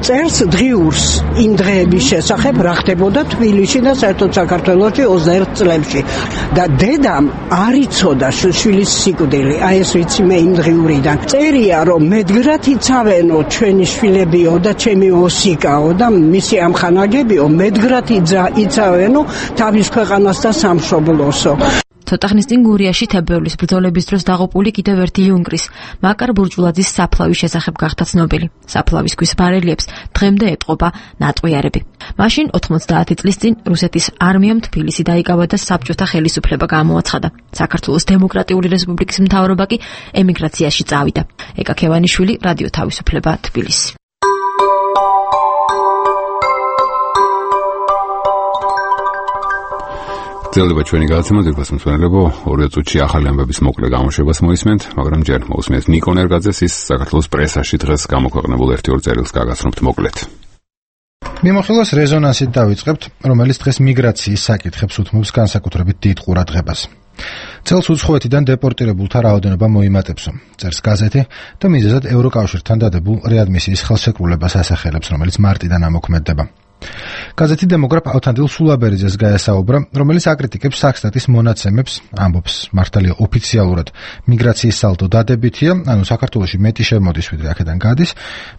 წერს დღიურს იმ დღეების შესახებ, რა ხდებოდა თბილისში და საერთოდ საქართველოში ოცდაერთ წლებში. და დედამ არ იცოდა შვილის სიკვდილი. აი ეს ვიცი მე იმ დღიურიდან. წერია, რომ მედგრად იცავენო ჩვენი შვილებიო და ჩემი ოსიკაო და მისი ამხანაგებიო მედგრად იცავენო თავის ქვეყანას და სამშობლოსო. ცოტა ხნის წინ გურიაში თებერვლის ბრძოლების დროს დაღუპული კიდევ ერთი იუნკრის, მაკარ ბურჯულაძის საფლავის შესახებ გახდა ცნობილი. საფლავის ქვის ბარელიებს დღემდე ეტყობა ნატყვიარები. მაშინ ოთხმოცდაათი წლის წინ რუსეთის არმიამ თბილისი დაიკავა და საბჭოთა ხელისუფლება გამოაცხადა. საქართველოს დემოკრატიული რესპუბლიკის მთავრობა კი ემიგრაციაში წავიდა. ეკა ქევანიშვილი, რადიო თავისუფლება, თბილისი. ძლება ჩვენი გადაცემა ძირფას მსმენელებო, ორი წუთში ახალი ამბების მოკლე გამოშვებას მოისმენთ, მაგრამ ჯერ მოусმენთ ნიკონ ერგაძეს ის საქართველოს პრესაში დღეს გამოქვეყნებულ ერთი-ორ წერილს გაგაცნობთ მოკლედ. მიმოხილვას რეზონანსით დავიწყებთ, რომელიც დღეს მიგრაციის საკითხებს უთმობს განსაკუთრებით დიდ ყურადღებას. წელს უცხოეთიდან დეპორტირებულთა რაოდენობა მოიმატებსო, წერს გაზეთი და მიზეზად ევროკავშირთან დადებულ რეადმისიის ხელშეკრულებას ასახელებს, რომელიც მარტიდან ამოქმედდება. გაზეთი დემოგრაფ ავთანდილ სულაბერიძეს გაესაუბრა, რომელიც აკრიტიკებს საქსტატის მონაცემებს, ამბობს მართალია ოფიციალურად მიგრაციის სალდო დადებითია, ანუ საქართველოში მეტი შემოდის ვიდრე აქედან გადის,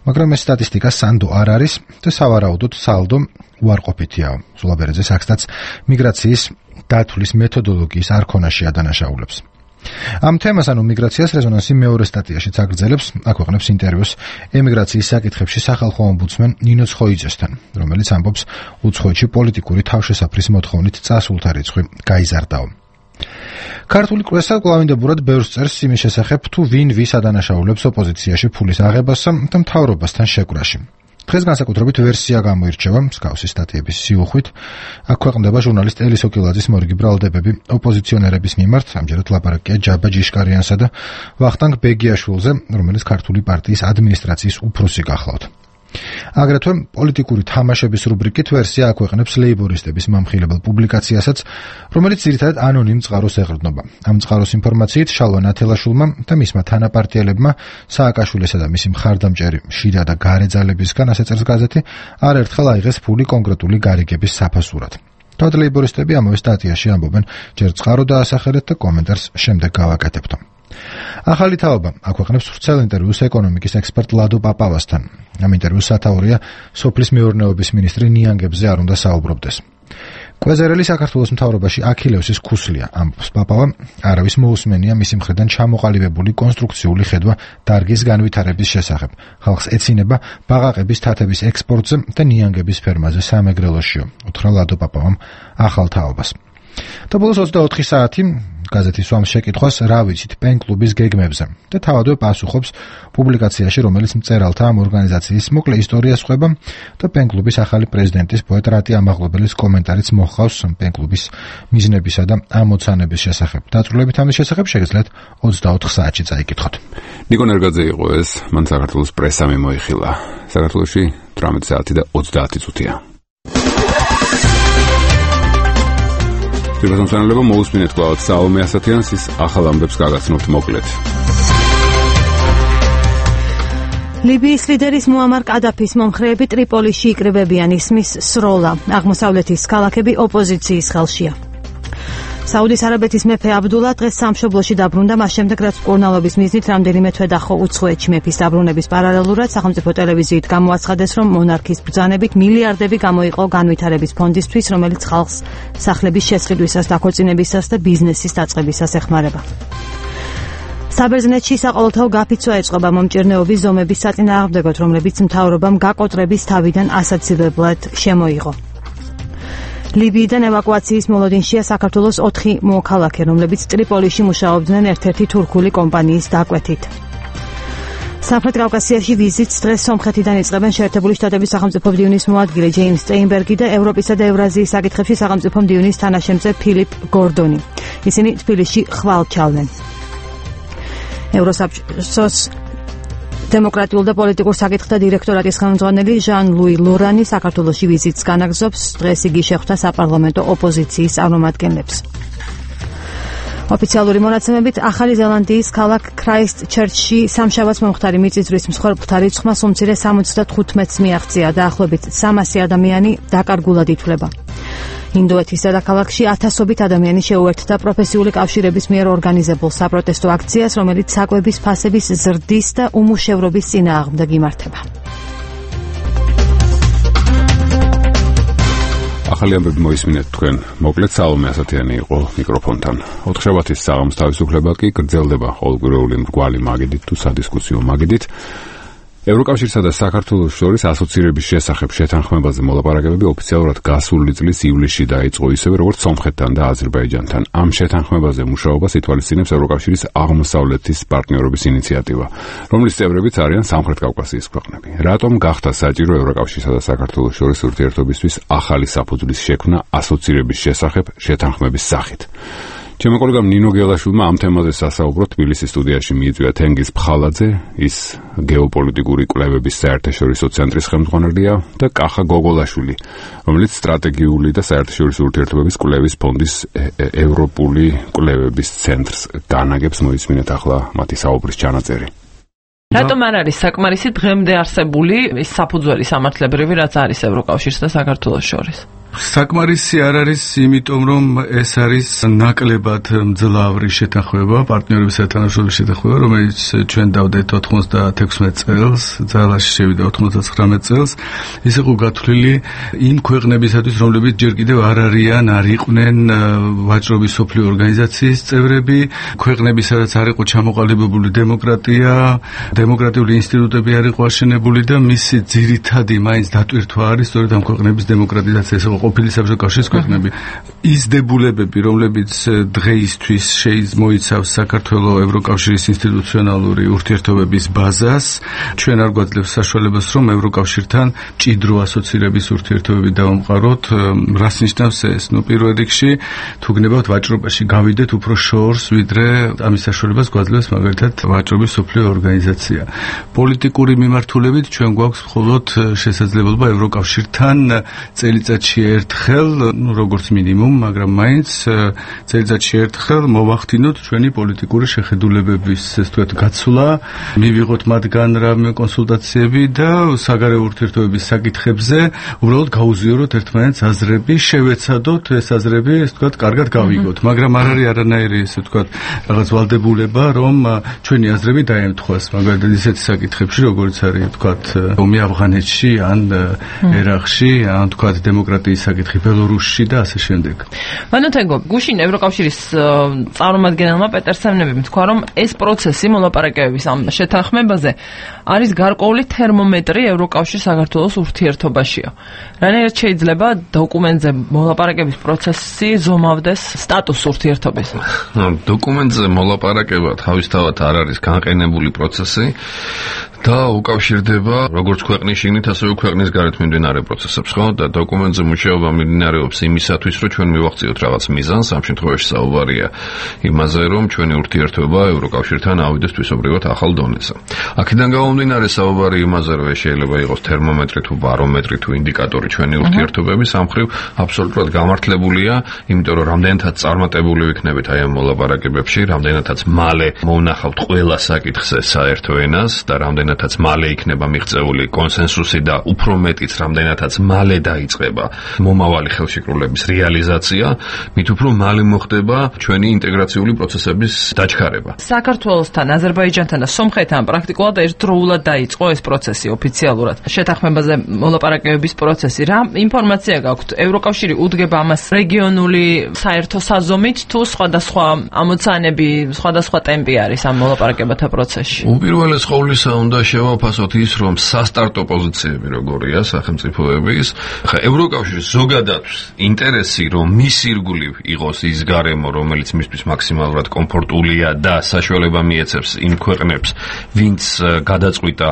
მაგრამ ეს სტატისტიკა სანდო არ არის და სავარაუდოდ სალდო უარყოფითია. სულაბერიძე საქსტატს მიგრაციის დათვლის მეთოდოლოგიის არქონაში ადანაშაულებს. ამ თემას ანუ მიგრაციას რეზონანსი მეორე სტატიაშიც აგრძელებს, აქვეყნებს ინტერვიუს ემიგრაციის საკითხებში სახალხო ომბუდსმენ ნინო ცხოიძესთან, რომელიც ამბობს უცხოეთში პოლიტიკური თავშესაფრის მოთხოვნით წასულთა რიცხვი გაიზარდაო. ქართული პრესა კვლავინდებურად ბევრს წერს იმის შესახებ, თუ ვინ ვის ადანაშაულებს ოპოზიციაში ფულის აღებასა და მთავრობასთან შეკვრაში. დღეს განსაკუთრებით ვერსია გამოირჩევა მსგავსი სტატიების სიუხვით. აქ ქვეყნდება ჟურნალისტ ელის ოკილაძის მორიგი ბრალდებები ოპოზიციონერების მიმართ, ამჯერად ლაპარაკია ჯაბა ჯიშკარიანსა და ვახტანგ ბეგიაშვილზე, რომელიც ქართული პარტიის ადმინისტრაციის უფროსი გახლავთ. აგრეთვე პოლიტიკური თამაშების რუბრიკით ვერსია აქვეყნებს ლეიბორისტების მომხილებელ პუბლიკაციასაც, რომელიც ძირითადად ანონიმ წყაროს ეყრდნობა. ამ წყაროს ინფორმაციით შალვა ნათელაშვილმა და მისმა თანაპარტიელებმა სააკაშვილისა და მისი მხარდამჭერი შიდა და გარე ძალებისგან, ასე წერს გაზეთი, არაერთხელ აიღეს ფული კონკრეტული გარიგების საფასურად. თავად ლეიბორისტები ამავე სტატიაში ამბობენ, ჯერ წყარო დაასახელეთ და კომენტარს შემდეგ გავაკეთებთ. ახალი თაობა აქვეყნებს ვრცელ ინტერვიუს ეკონომიკის ექსპერტ ლადო პაპავასთან. ამ ინტერვიუს სათაურია სოფლის მეურნეობის მინისტრი ნიანგებზე არ უნდა საუბრობდეს. კვეზერელი საქართველოს მთავრობაში აქილევსის ქუსლია, ამბობს პაპავა, არავის მოусმენია მისი მხრიდან ჩამოყალიბებული კონსტრუქციული ხედვა დარგის განვითარების შესახებ. ხალხს ეცინება ბაყაყების თათების ექსპორტზე და ნიანგების ფერმაზე სამეგრელოშიო, უთხრა ლადო პაპავამ ახალ თაობას. და ბოლოს ოცდაოთხი საათი გაზეთი სვამს შეკითხვას რა ვიცით პენ-კლუბის გეგმებზე და თავადვე პასუხობს პუბლიკაციაში, რომელიც მწერალთა ამ ორგანიზაციის მოკლე ისტორიას ხვება და პენ-კლუბის ახალი პრეზიდენტის პოეტ რატი ამაღლებელის კომენტარიც მოჰყავს პენ-კლუბის მიზნებისა და ამოცანების შესახებ. დაწვრილებით ამის შესახებ შეგიძლიათ ოცდაოთხ საათში წაიკითხოთ. ნიკო ნერგაძე იყო ეს, მან საქართველოს პრესა მიმოიხილა. საქართველოში თვრამეტი საათი და ოცდაათი წუთია. პირველსამწანელობა მოусმინეთ კლავად საომე ასათიანს, ის ახალ ამბებს გაგაცნობთ მოკლედ. ლიბიის ლიდერის მუამარ კადაფის მომხრეები ტრიპოლიში იკრიბებიან, ისმის სროლა. აღმოსავლეთის ქალაქები ოპოზიციის ხელშია. საუდის არაბეთის მეფე აბდულა დღეს სამშობლოში დაბრუნდა, მას შემდეგ რაც მკურნალობის მიზნით რამდენიმე თვე დაჰყო უცხოეთში. მეფის დაბრუნების პარალელურად სახელმწიფო ტელევიზიით გამოაცხადეს, რომ მონარქის ბრძანებით მილიარდები გამოიყო განვითარების ფონდისთვის, რომელიც ხალხს სახლების შესყიდვისას, დაქორწინებისას და ბიზნესის დაწყებისას ეხმარება. საბერძნეთში საყოველთაო გაფიცვა ეწყობა მომჭირნეობის ზომების საწინააღმდეგოდ, რომლებიც მთავრობამ გაკოტრების თავიდან ასაცილებლად შემოიღო. ლიბიიდან ევაკუაციის მოლოდინშია საქართველოს ოთხი მოქალაქე, რომლებიც ტრიპოლიში მუშაობდნენ ერთ-ერთი თურქული კომპანიის დაკვეთით. სამხრეთ კავკასიაში ვიზიტს დღეს სომხეთიდან იწყებენ შეერთებული შტატების სახელმწიფო მდივნის მოადგილე ჯეიმს სტეინბერგი და ევროპისა და ევრაზიის საკითხებში სახელმწიფო მდივნის თანაშემწე ფილიპ გორდონი. ისინი თბილისში ხვალ ჩალნენ. ევროსაბჭოს დემოკრატიულ და პოლიტიკურ საკითხთა დირექტორატის ხელმძღვანელი ჟან-ლუი ლორანი საქართველოში ვიზიტს განაგრძობს. დღეს იგი შეხვდა საპარლამენტო ოპოზიციის წარმომადგენლებს. ოფიციალური მონაცემებით ახალი ზელანდიის ქალაქ ქრაისტჩერჩში სამშაბათს მომხდარი მიწისძვრის მსხვერპლთა რიცხვმა უმცირე სამოცდათხუთმეტს მიაღწია, დაახლოებით სამასი ადამიანი დაკარგულად ითვლება. ინდოეთის დედაქალაქში ათასობით ადამიანი შეუერთდა პროფესიული კავშირების მიერ ორგანიზებულ საპროტესტო აქციას, რომელიც საკვების ფასების ზრდის და უმუშევრობის წინააღმდეგ იმართება. ახალი ამბები მოისმინეთ თქვენ. მოკლედ საომე ასათიანი იყო მიკროფონთან. ოთხშაბათის საღამოს თავისუფლება კი გრძელდება ყოველკვირეული მრგვალი მაგიდით თუ სადისკუსიო მაგიდით. ევროკავშირსა და საქართველოს შორის ასოცირების შესახებ შეთანხმებაზე მოლაპარაკებები ოფიციალურად გასული წლის ივლისში დაიწყო, ისევე როგორც სომხეთთან და აზერბაიჯანთან. ამ შეთანხმებაზე მუშაობას ითვალისწინებს ევროკავშირის აღმოსავლეთის პარტნიორობის ინიციატივა, რომლის წევრებიც არიან სამხრეთ კავკასიის ქვეყნები. რატომ გახდა საჭირო ევროკავშირსა და საქართველოს შორის ურთიერთობისთვის ახალი საფუძვლის შექმნა ასოცირების შესახებ შეთანხმების სახით? ჩემო კოლეგამ ნინო გელაშვილმა ამ თემაზე სასაუბროდ თბილისის სტუდიაში მიიწვია თენგიზ ფხალაძე, ის გეოპოლიტიკური კვლევების საერთაშორისო ცენტრის ხელმძღვანელია, და კახა გოგოლაშვილი, რომელიც სტრატეგიული და საერთაშორისო ურთიერთობების კვლევის ფონდის ევროპული კვლევების ცენტრს განაგებს. მოისმინეთ ახლა მათი საუბრის ჩანაწერი. რატომ არ არის საკმარისი დღემდე არსებული ის საფუძველი სამართლებრივი, რაც არის ევროკავშირს და საქართველოს შორის? საკმარისი არ არის, იმიტომ რომ ეს არის ნაკლებად მძლავრი შეთანხმება, პარტნიორების თანამშრომლობის შეთანხმება, რომელიც ჩვენ დავდეთ ოთხმოცდაექვსმეტ წელს, ძალაში შევიდა ოცდათხმეტ წელს. ის იყო გათვლილი იმ ქვეყნებისათვის, რომლებიც ჯერ კიდევ არ არიან, არ იყვნენ ვაჭრობის სოფლიო ორგანიზაციის წევრები, ქვეყნები, სადაც არ იყო ჩამოყალიბებული დემოკრატია, დემოკრატიული ინსტიტუტები არ იყო აშენებული და მისი ძირითადი მაინც დატვირთვა არის სწორედ ამ ქვეყნების დემოკრატიზაცია, ეს იყო ყოფილი საბჭოთა კავშირის ქვეყნები. ის დებულებები, რომლებიც დღეისთვის შეიმოიცავს საქართველოს ევროკავშირის ინსტიტუციონალური ურთიერთობების ბაზას, ჩვენ არ გვაძლევს საშუალებას, რომ ევროკავშირთან მჭიდრო ასოცირების ურთიერთობები დავამყაროთ. რას ნიშნავს ეს? ნუ პირველ რიგში, თუ გნებავთ ვაჭრობაში გავიდეთ უფრო შორს, ვიდრე ამის საშუალებას გვაძლევს მაგალითად ვაჭრობის სოფლიო ორგანიზაცია. პოლიტიკური მიმართულებით ჩვენ გვაქვს მხოლოდ შესაძლებლობა ევროკავშირთან წელიწადში ერთხელ, ნუ როგორც მინიმუმ, მაგრამ მაინც წელიწადში ერთხელ მოვახდინოთ ჩვენი პოლიტიკური შეხედულებების, ეს თქვათ, გაცვლა, მივიღოთ მათგან რამე კონსულტაციები და საგარეო ურთიერთობების საკითხებზე უბრალოდ გაუზიაროთ ერთმანეთს აზრები, შევეცადოთ ეს აზრები, ეს თქვათ, კარგად გავიგოთ, მაგრამ არ არის არანაირი, ესე თქვათ, რაღაც ვალდებულება, რომ ჩვენი აზრები დაემთხვას, მაგალითად ისეთ საკითხებში, როგორც არის, თქვათ, ომი ავღანეთში, ან ერაყში, ან თქვათ, დემოკრატიის საკითხი ბელორუსში და ასე შემდეგ. მანოთენგო, გუშინ ევროკავშირის წარმომადგენელმა პეტერ სემნებიმ თქვა, რომ ეს პროცესი მოლაპარაკებების ამ შეთანხმებაზე არის გარკვეული თერმომეტრი ევროკავშირ საქართველოს ურთიერთობაშიო. რანაირად შეიძლება დოკუმენტზე მოლაპარაკების პროცესი ზომავდეს სტატუს ურთიერთობის? დოკუმენტზე მოლაპარაკება თავისთავად არ არის განყენებული პროცესი და უკავშირდება როგორც ქვეყნის შიგნით, ასევე ქვეყნის გარეთ მიმდინარე პროცესებს, ხო? და დოკუმენტზე მუშაობა მიმდინარეობს იმისათვის, რომ ჩვენ მივახციოთ რაღაც მიზანს, ამ შემთხვევაში საუბარია იმაზე, რომ ჩვენი ურთიერთობა ევროკავშირთან ავიდეს თვისობრივად ახალ დონეზე. აქედან გამომდინარე საუბარი იმაზე, რომ ეს შეიძლება იყოს თერმომეტრი თუ ბარომეტრი თუ ინდიკატორი ჩვენი ურთიერთობების, ამ მხრივ აბსოლუტურად გამართლებულია, იმიტომ რომ რამდენადაც წარმატებული ვიქნებით აი ამ მოლაპარაკებებში, რამდენადაც მალე მოვნახავთ ყველა საკითხზე საერთო ენას და რამდენადაც მალე იქნება მიღწეული კონსენსუსი და უფრო მეტიც რამდენადაც მალე დაიწყება მომავალი ხელშეკრულების რეალიზაცია, მით უფრო მალე მოხდება ჩვენი ინტეგრაციული პროცესების დაჩქარება. საქართველოსთან, აზერბაიჯანთან და სომხეთთან პრაქტიკულად ერთდროულად დაიწყო ეს პროცესი ოფიციალურად. შეთანხმებაზე მოლაპარაკებების პროცესი. რა ინფორმაცია გაქვთ? ევროკავშირი უდგება ამას რეგიონული საერთო საზომით თუ სხვადასხვა ამოცანები, სხვადასხვა ტემპი არის ამ მოლაპარაკებათა პროცესში? უპირველეს ყოვლისა უნდა შევაფასოთ ის, რომ სასტარტო პოზიციები როგორია სახელმწიფოების. ხა ევროკავშირის ზოგადად ინტერესი, რომ მის ირგვლივ იყოს ის გარემო, რომელიც მისთვის მაქსიმალურად კომფორტულია და საშუალება მიეცებს იმ ქვეყნებს, ვინც გადაწყვიტა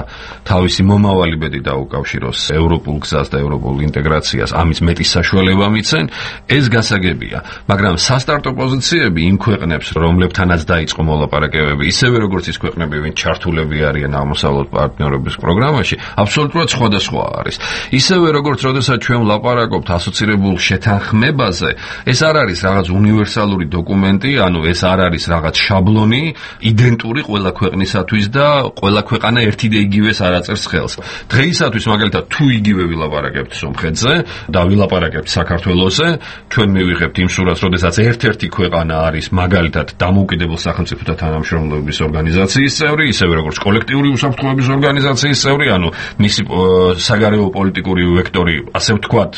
თავისი მომავალი ბედი დაუკავშიროს ევროპულ გზას და ევროპულ ინტეგრაციას, ამის მეტი საშუალება მიცენ, ეს გასაგებია. მაგრამ სასტარტო პოზიციები იმ ქვეყნებს, რომლებთანაც დაიწყო მოლაპარაკებები, ისევე როგორც ის ქვეყნები, ვინც ჩართულები არიან აღმოსავლეთ პარტნიორობის პროგრამაში, აბსოლუტურად სხვადასხვა არის. ისევე როგორც როდესაც ჩვენ ვლაპარაკობთ ასოცირებულ შეთანხმებაზე, ეს არ არის რაღაც უნივერსალური დოკუმენტი, ანუ ეს არ არის რაღაც შაბლონი, იდენტური ყველა ქვეყნისათვის და ყველა ქვეყანა ერთი და იგივეს არ აწერს ხელს. დღეისათვის მაგალითად თუ იგივე ვილაპარაკებთ სომხეთზე და ვილაპარაკებთ საქართველოსზე, ჩვენ მივიღებთ იმ სურათს, როდესაც ერთ-ერთი ქვეყანა არის მაგალითად დამოუკიდებელ სახელმწიფოთა თანამშრომლობის ორგანიზაციის წევრი, ისევე როგორც კოლექტიური უსაფრთხოების ორგანიზაციის წევრი, ანუ მისი საგარეო პოლიტიკური ვექტორი, ასე ვთქვათ,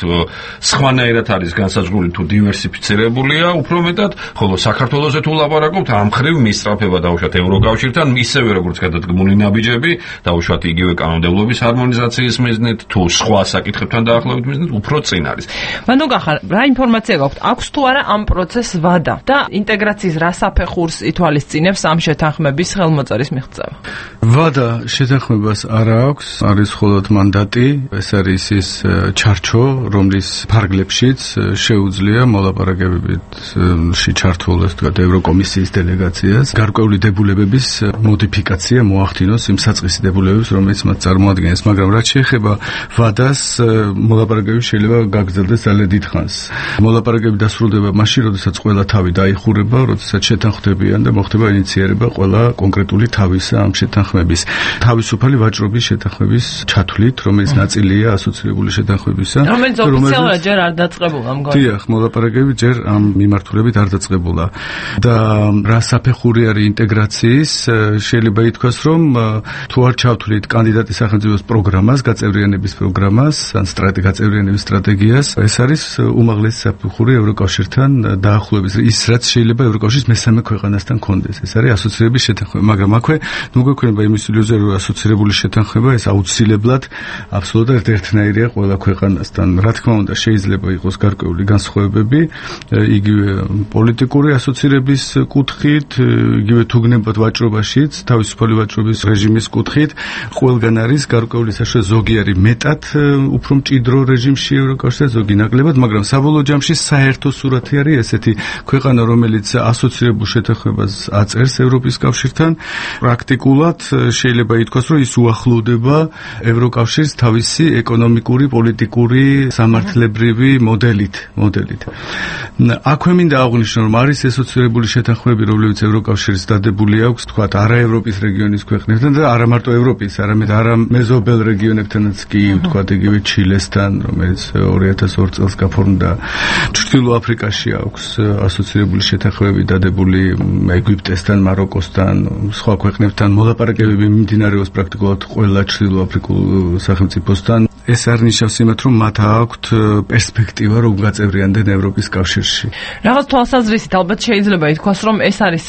სხვანაირად არის განსაზღვრული თუ დივერსიფიცირებულია, უფრო მეტად, ხოლო საქართველოსზე თუ ლაპარაკობთ, ამ მხრივ მისწრაფება დაუშვათ ევროკავშირთან, ისევე როგორც გადადგმული ნაბიჯები, დაუშვათ იგივე კანონმდებლობის ჰარმონიზაციის მიზნით, თუ სხვა საკითხებთან დაახლოებით მიზნით, უფრო წინ არის. მანდოგახარ, რა ინფორმაცია გაქვთ? აქვს თუ არა ამ პროცესს ვადა და ინტეგრაციის რა საფეხურს ითვალისწინებს ამ შეთანხმების ხელმოწერის მიღწევა? ვადა შეთანხმებას არ აქვს, არის მხოლოდ მანდატი, ეს არის ის ჩარჩო, რომლის ფარგლებშიც შეუძლია მოლაპარაკებებში ჩართულ, ასე ვთქვათ, ევროკომისიის დელეგაციას გარკვეული დებულებების მოდიფიკაცია მოახდინოს იმ საწყისი დებულებებს, რომელიც მათ წარმოადგენს, მაგრამ რაც შეეხება ვადას, მოლაპარაკებები შეიძლება გაგრძელდეს ძალიან დიდ ხანს. მოლაპარაკებები დასრულდება მაშინ, როდესაც ყველა თავი დაიხურება, როდესაც შეთანხმდებიან და მოხდება ინიციირება ყველა კონკრეტული თავისა ამ შეთანხმების. თავისუფალი ვაჭრობის შეთანხმების ჩათვლით, რომელიც ნაწილია ასოცირებული შეთანხმებისა. რომელიც ოფიციალურად ჯერ არ დაწყებულა მგონი. დიახ, მოლაპარაკებები ჯერ ამ მიმართულებით არ დაწყებულა. და რა საფეხური არის ინტეგრაციის, შეიძლება ითქვას, რომ თუ არ ჩავთვლით კანდიდატის სახელმწიფოს პროგრამას, გაწევრიანების პროგრამას, ან სტრატეგიას, გაწევრიანების სტრატეგიას, ეს არის უმაღლესი საფეხური ევროკავშირთან დაახლოების, ის რაც შეიძლება ევროკავშირის მესამე ქვეყანასთან კონდეს. ეს არის ასოცირების შეთანხმება, მაგრამ აქვე ნუ გვექნება იმის ილუზია, რომ ასოცირებული შეთანხმება ეს აუცილებლად აბსოლუტურად ერთნაირია ყველა ქვეყანასთან. რა თქმა უნდა, შეიძლება იყოს გარკვეული განსხვავებები, იგივე პოლიტიკური ასოცირების კუთხით, იგივე თუ გნებათ ვაჭრობაშიც, თავისუფალი ვაჭრობის რეჟიმის კუთხით, ყველგან არის გარკვეული საშუალება, ზოგი არის მეტად უფრო მჭიდრო რეჟიმში ევროკავშირთან, ზოგი ნაკლებად, მაგრამ საბოლოო ჯამში საერთო სურათი არის ესეთი: ქვეყანა, რომელიც ასოცირებულ შეთანხმებას აწერს ევროპის კავშირთან, პრაქტიკულად შეიძლება ითქვას, რომ ის უახლოვდება ევროკავშირს თავისი ეკონომიკური, პოლიტიკური, სამართლებრივი მოდელით, მოდელით. აქვე მინდა აღვნიშნო, რომ არის ასოცირებული შეთანხმებები, რომლებიც ევროკავშირის დადებული აქვს, თქვათ, არა ევროპის რეგიონის ქვეყნებთან და არა მარტო ევროპის, არამედ არა მეზობელ რეგიონებთანაც კი, თქვათ, იგივე ჩილესთან, რომელიც ორი ათას ორი წელს გაფორმდა. ჩრდილო აფრიკაში აქვს ასოცირებული შეთანხმებები დადებული ეგვიპტესთან, მაროკოსთან, სხვა ქვეყნებთან. მოლაპარაკებები მიმდინარეობს პრაქტიკულად ყველა ჩრდილო აფრიკულ სახელმწიფოსთან. ეს არ ნიშნავს იმათ, რომ მათ აქვთ პერსპექტივა, რომ გაწევრიანდნენ ევროპის კავშირში. რაღაც თვალსაზრისით ალბათ შეიძლება ითქვას, რომ ეს არის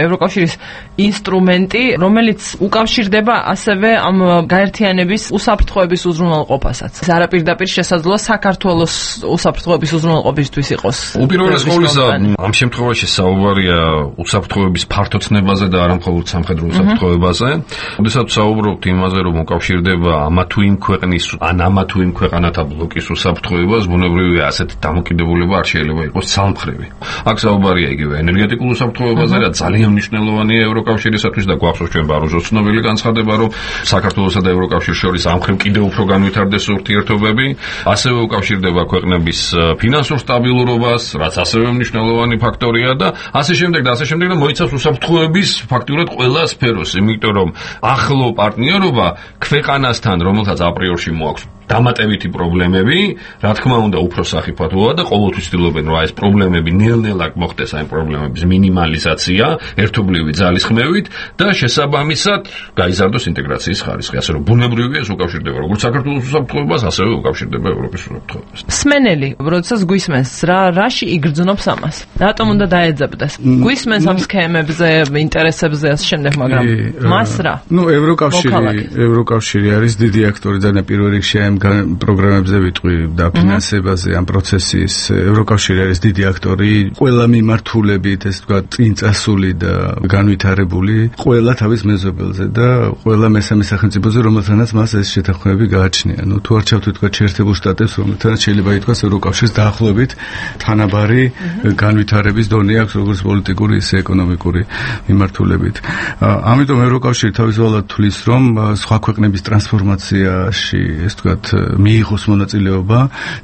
ევროკავშირის ინსტრუმენტი, რომელიც უკავშირდება ასევე ამ გაერთიანების უსაფრთხოების უზრუნველყოფასაც. ეს არაპირდაპირ შესაძლოა საქართველოს უსაფრთხოების უზრუნველყოფისთვის იყოს. უპირველეს ყოვლისა, ამ შემთხვევაში საუბარია უსაფრთხოების ფართოცნებაზე და არა მხოლოდ სამხედრო უსაფრთხოებაზე. როდესაც საუბრობთ იმაზე, რომ უკავშირდება ამა თუ იმ ქვეყნის ან ამა თუ იმ ქვეყანათა ბლოკის უსაფრთხოებას, ბუნებრივია ასეთი დამოკიდებულება არ შეიძლება იყოს ცალმხრივი. აქ საუბარია იგივე ენერგეტიკულ უსაფრთხოებაზე, რაც ძალიან მნიშვნელოვანია ევროკავშირისათვის და გვახსოვს ჩვენ ბაროზოს ცნობილი განცხადება, რომ საქართველოსა და ევროკავშირის შორის ამ მხრივ კიდევ უფრო განვითარდეს ურთიერთობები, ასევე უკავშირდება ქვეყნების ფინანსურ სტაბილურობას, რაც ასევე მნიშვნელოვანი ფაქტორია და ასე შემდეგ და ასე შემდეგ და მოიცავს უსაფრთხოების ფაქტურად ყველა სფეროს, იმიტომ რომ ახლო პარტნიორობა ქვეყანასთან, რომელსაც აპრიორში მოაქვს დამატებითი პრობლემები, რა თქმა უნდა, უფრო სახიფათოა და ყოველთვის ცდილობენ, რომ ეს პრობლემები ნელ-ნელა მოხდეს, აი პრობლემების მინიმალიზაცია, ერთობლივი ძალისხმევით და შესაბამისად გაიზარდოს ინტეგრაციის ხარისხი. ასე რომ ბუნებრივია ეს უკავშირდება როგორც საქართველოს უსაფრთხოებას, ასევე უკავშირდება ევროპის უსაფრთხოებას. სმენელი, როდესაც გვისმენს, რა რაში იგრძნობს ამას? რატომ უნდა დაეძებდეს? გვისმენს ამ სქემებზე, ინტერესებზე ასე შემდეგ, მაგრამ მას რა? ნუ ევროკავშირი, ევროკავშირი არის დიდი აქტორი და პირველ რიგში ამ პროგრამებზე ვიტყვი და ფინანსებაზე ამ პროცესის ევროკავშირი არის დიდი აქტორი, ყველა მიმართულებით, ეს თქვა, წინწასული და განვითარებული, ყველა თავის მეზობელზე და ყველა მესამე სახელმწიფოზე, რომელთანაც მას ეს შეთანხმებები გააჩნია. ნუ თუ არ ჩავთვლით თქვა შეერთებულ შტატებს, რომელთანაც შეიძლება ითქვას ევროკავშირის დაახლოებით თანაბარი განვითარების დონე აქვს, როგორც პოლიტიკური, ისე ეკონომიკური მიმართულებით. ამიტომ ევროკავშირი თავისუფლად თვლის, რომ სხვა ქვეყნების ტრანსფორმაციაში, ეს თქვა, მიიღოს მონაწილეობა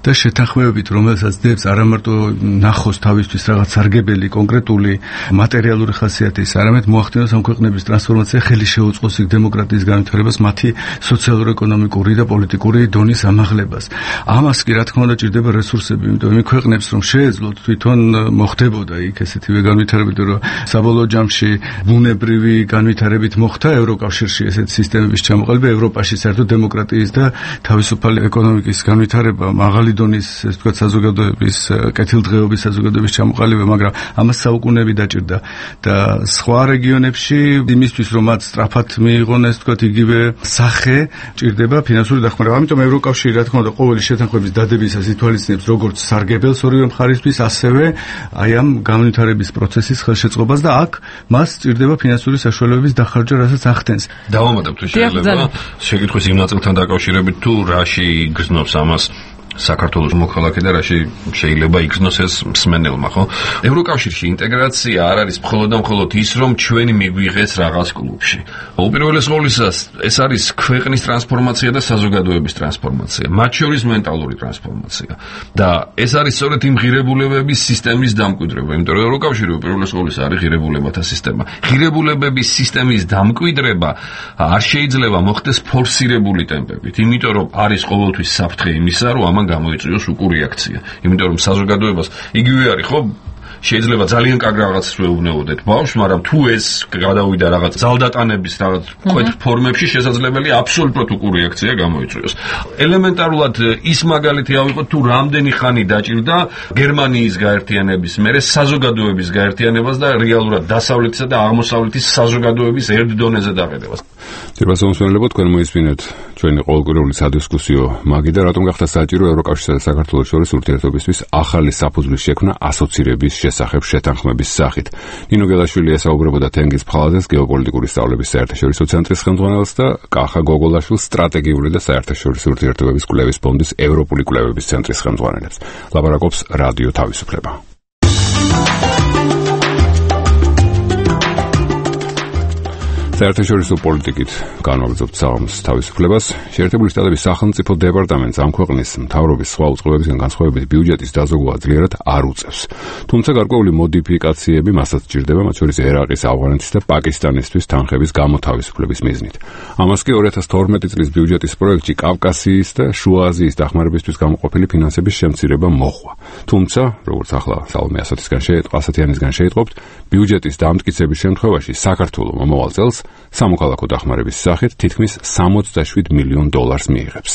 და შეთანხმებებით, რომელსაც დებს არა მარტო ნახოს თავისთვის რაღაც სარგებელი კონკრეტული მატერიალური ხასიათის, არამედ მოახდინოს ამ ქვეყნების ტრანსფორმაცია, ხელი შეუწყოს იქ დემოკრატიის განვითარებას, მათი სოციალურ-ეკონომიკური და პოლიტიკური დონის ამაღლებას. ამას კი რა თქმა უნდა ჭირდება რესურსები, იმიტომ იმ ქვეყნებს რომ შეეძლოთ თვითონ მოხდებოდა იქ ესეთივე განვითარებით, რომ საბოლოო ჯამში ბუნებრივი განვითარებით მოხდა ევროკავშირში ესეთი სისტემების ჩამოყალიბება, ევროპაში საერთოდ დემოკრატიის და თავისუფალი ეკონომიკის განვითარება, მაღალი დონის, ეს თქვა, საზოგადოების კეთილდღეობის საზოგადოების ჩამოყალიბება, მაგრამ ამას საუკუნეები დაჭირდა და სხვა რეგიონებში იმისთვის, რომ მათ სწრაფად მიიღონ, ეს თქვა, იგივე სახე, ჭირდება ფინანსური დახმარება. ამიტომ ევროკავშირი, რა თქმა უნდა, ყოველი შეთანხმების დადებისას ითვალისწინებს როგორც სარგებელს ორივე მხარისთვის, ასევე აი ამ განვითარების პროცესის ხელშეწყობას და აქ მას ჭირდება ფინანსური საშუალებების დახარჯვა, რასაც ახდენს. დავამატებთ, შეიძლება შეკითხვის იმ ნაწილთან დაკავშირებით, თუ რაში გრძნობს ამას საქართველოს მოქალაქე და რაში შეიძლება იქნოს ეს მსმენელმა, ხო? ევროკავშირში ინტეგრაცია არ არის მხოლოდ და მხოლოდ ის, რომ ჩვენი მიგვიღეს რაღაც კლუბში. უპირველეს ყოვლისა, ეს არის ქვეყნის ტრანსფორმაცია და საზოგადოების ტრანსფორმაცია, მათ შორის მენტალური ტრანსფორმაცია. და ეს არის სწორედ იმ ღირებულებების სისტემის დამკვიდრება, იმიტომ რომ ევროკავშირი უპირველეს ყოვლისა არის ღირებულებათა სისტემა. ღირებულებების სისტემის დამკვიდრება არ შეიძლება მოხდეს ფორსირებული ტემპებით, იმიტომ რომ არის ყოველთვის საფრთხე იმისა, რომ ამან გამოიწვიოს უკურიაქცია. იმიტომ რომ საზოგადოებას იგივე არის, ხო? შეიძლება ძალიან კარგ რაღაცას ვეუბნებოდეთ ბავშვს, მაგრამ თუ ეს გადავიდა რაღაც ძალდატანების რაღაც კვეთ ფორმებში, შესაძლებელია აბსოლუტურად უკურიაქცია გამოიწვიოს. ელემენტარულად ის მაგალითი ავიღოთ, თუ რამდენი ხანი დაჭირდა გერმანიის გაერთიანების მერე საზოგადოების გაერთიანებას და რეალურად დასავლეთისა და აღმოსავლეთის საზოგადოების ერთ დონეზე დაყენებას. ძირფას მომსმენელებო, თქვენ მოისმინეთ ჩვენი ყოველკვირეული სადისკუსიო მაგი და რატომ გახდა საჭირო ევროკავშირსა და საქართველოს შორის ურთიერთობისთვის ახალი საფუძვლის შექმნა ასოცირების შესახებ შეთანხმების სახით. ნინო გელაშვილი ესაუბრებოდა თენგიზ ფხალაძეს, გეოპოლიტიკური სწავლების საერთაშორისო ცენტრის ხელმძღვანელს და კახა გოგოლაშვილს, სტრატეგიული და საერთაშორისო ურთიერთობების კვლევის ფონდის ევროპული კვლევების ცენტრის ხელმძღვანელებს. ლაპარაკობს რადიო თავისუფლება. საერთაშორისო პოლიტიკით განვაგრძობთ საღამოს თავისუფლებას. შეერთებული შტატების სახელმწიფო დეპარტამენტს ამ ქვეყნის მთავრობის სხვა უწყებებისგან განსხვავებით ბიუჯეტის დაზოგვა ძლიერად არ უწევს. თუმცა გარკვეული მოდიფიკაციები მასაც სჭირდება, მათ შორის ერაყის, ავღანეთის და პაკისტანისთვის თანხების გამოთავისუფლების მიზნით. ამას კი ორი ათას თორმეტი წლის ბიუჯეტის პროექტში კავკასიის და შუა აზიის დახმარებისთვის გამოყოფილი ფინანსების შემცირება მოჰყვა. თუმცა, როგორც ახლა სალომე ასათიანისგან შეიტყობთ, ბიუჯეტის დამტკიცების შემთხვევაში საქართველოს მომავალ წელს სამოქალაქო დახმარების სახით თითქმის სამოცდაშვიდ მილიონ დოლარს მიიღებს.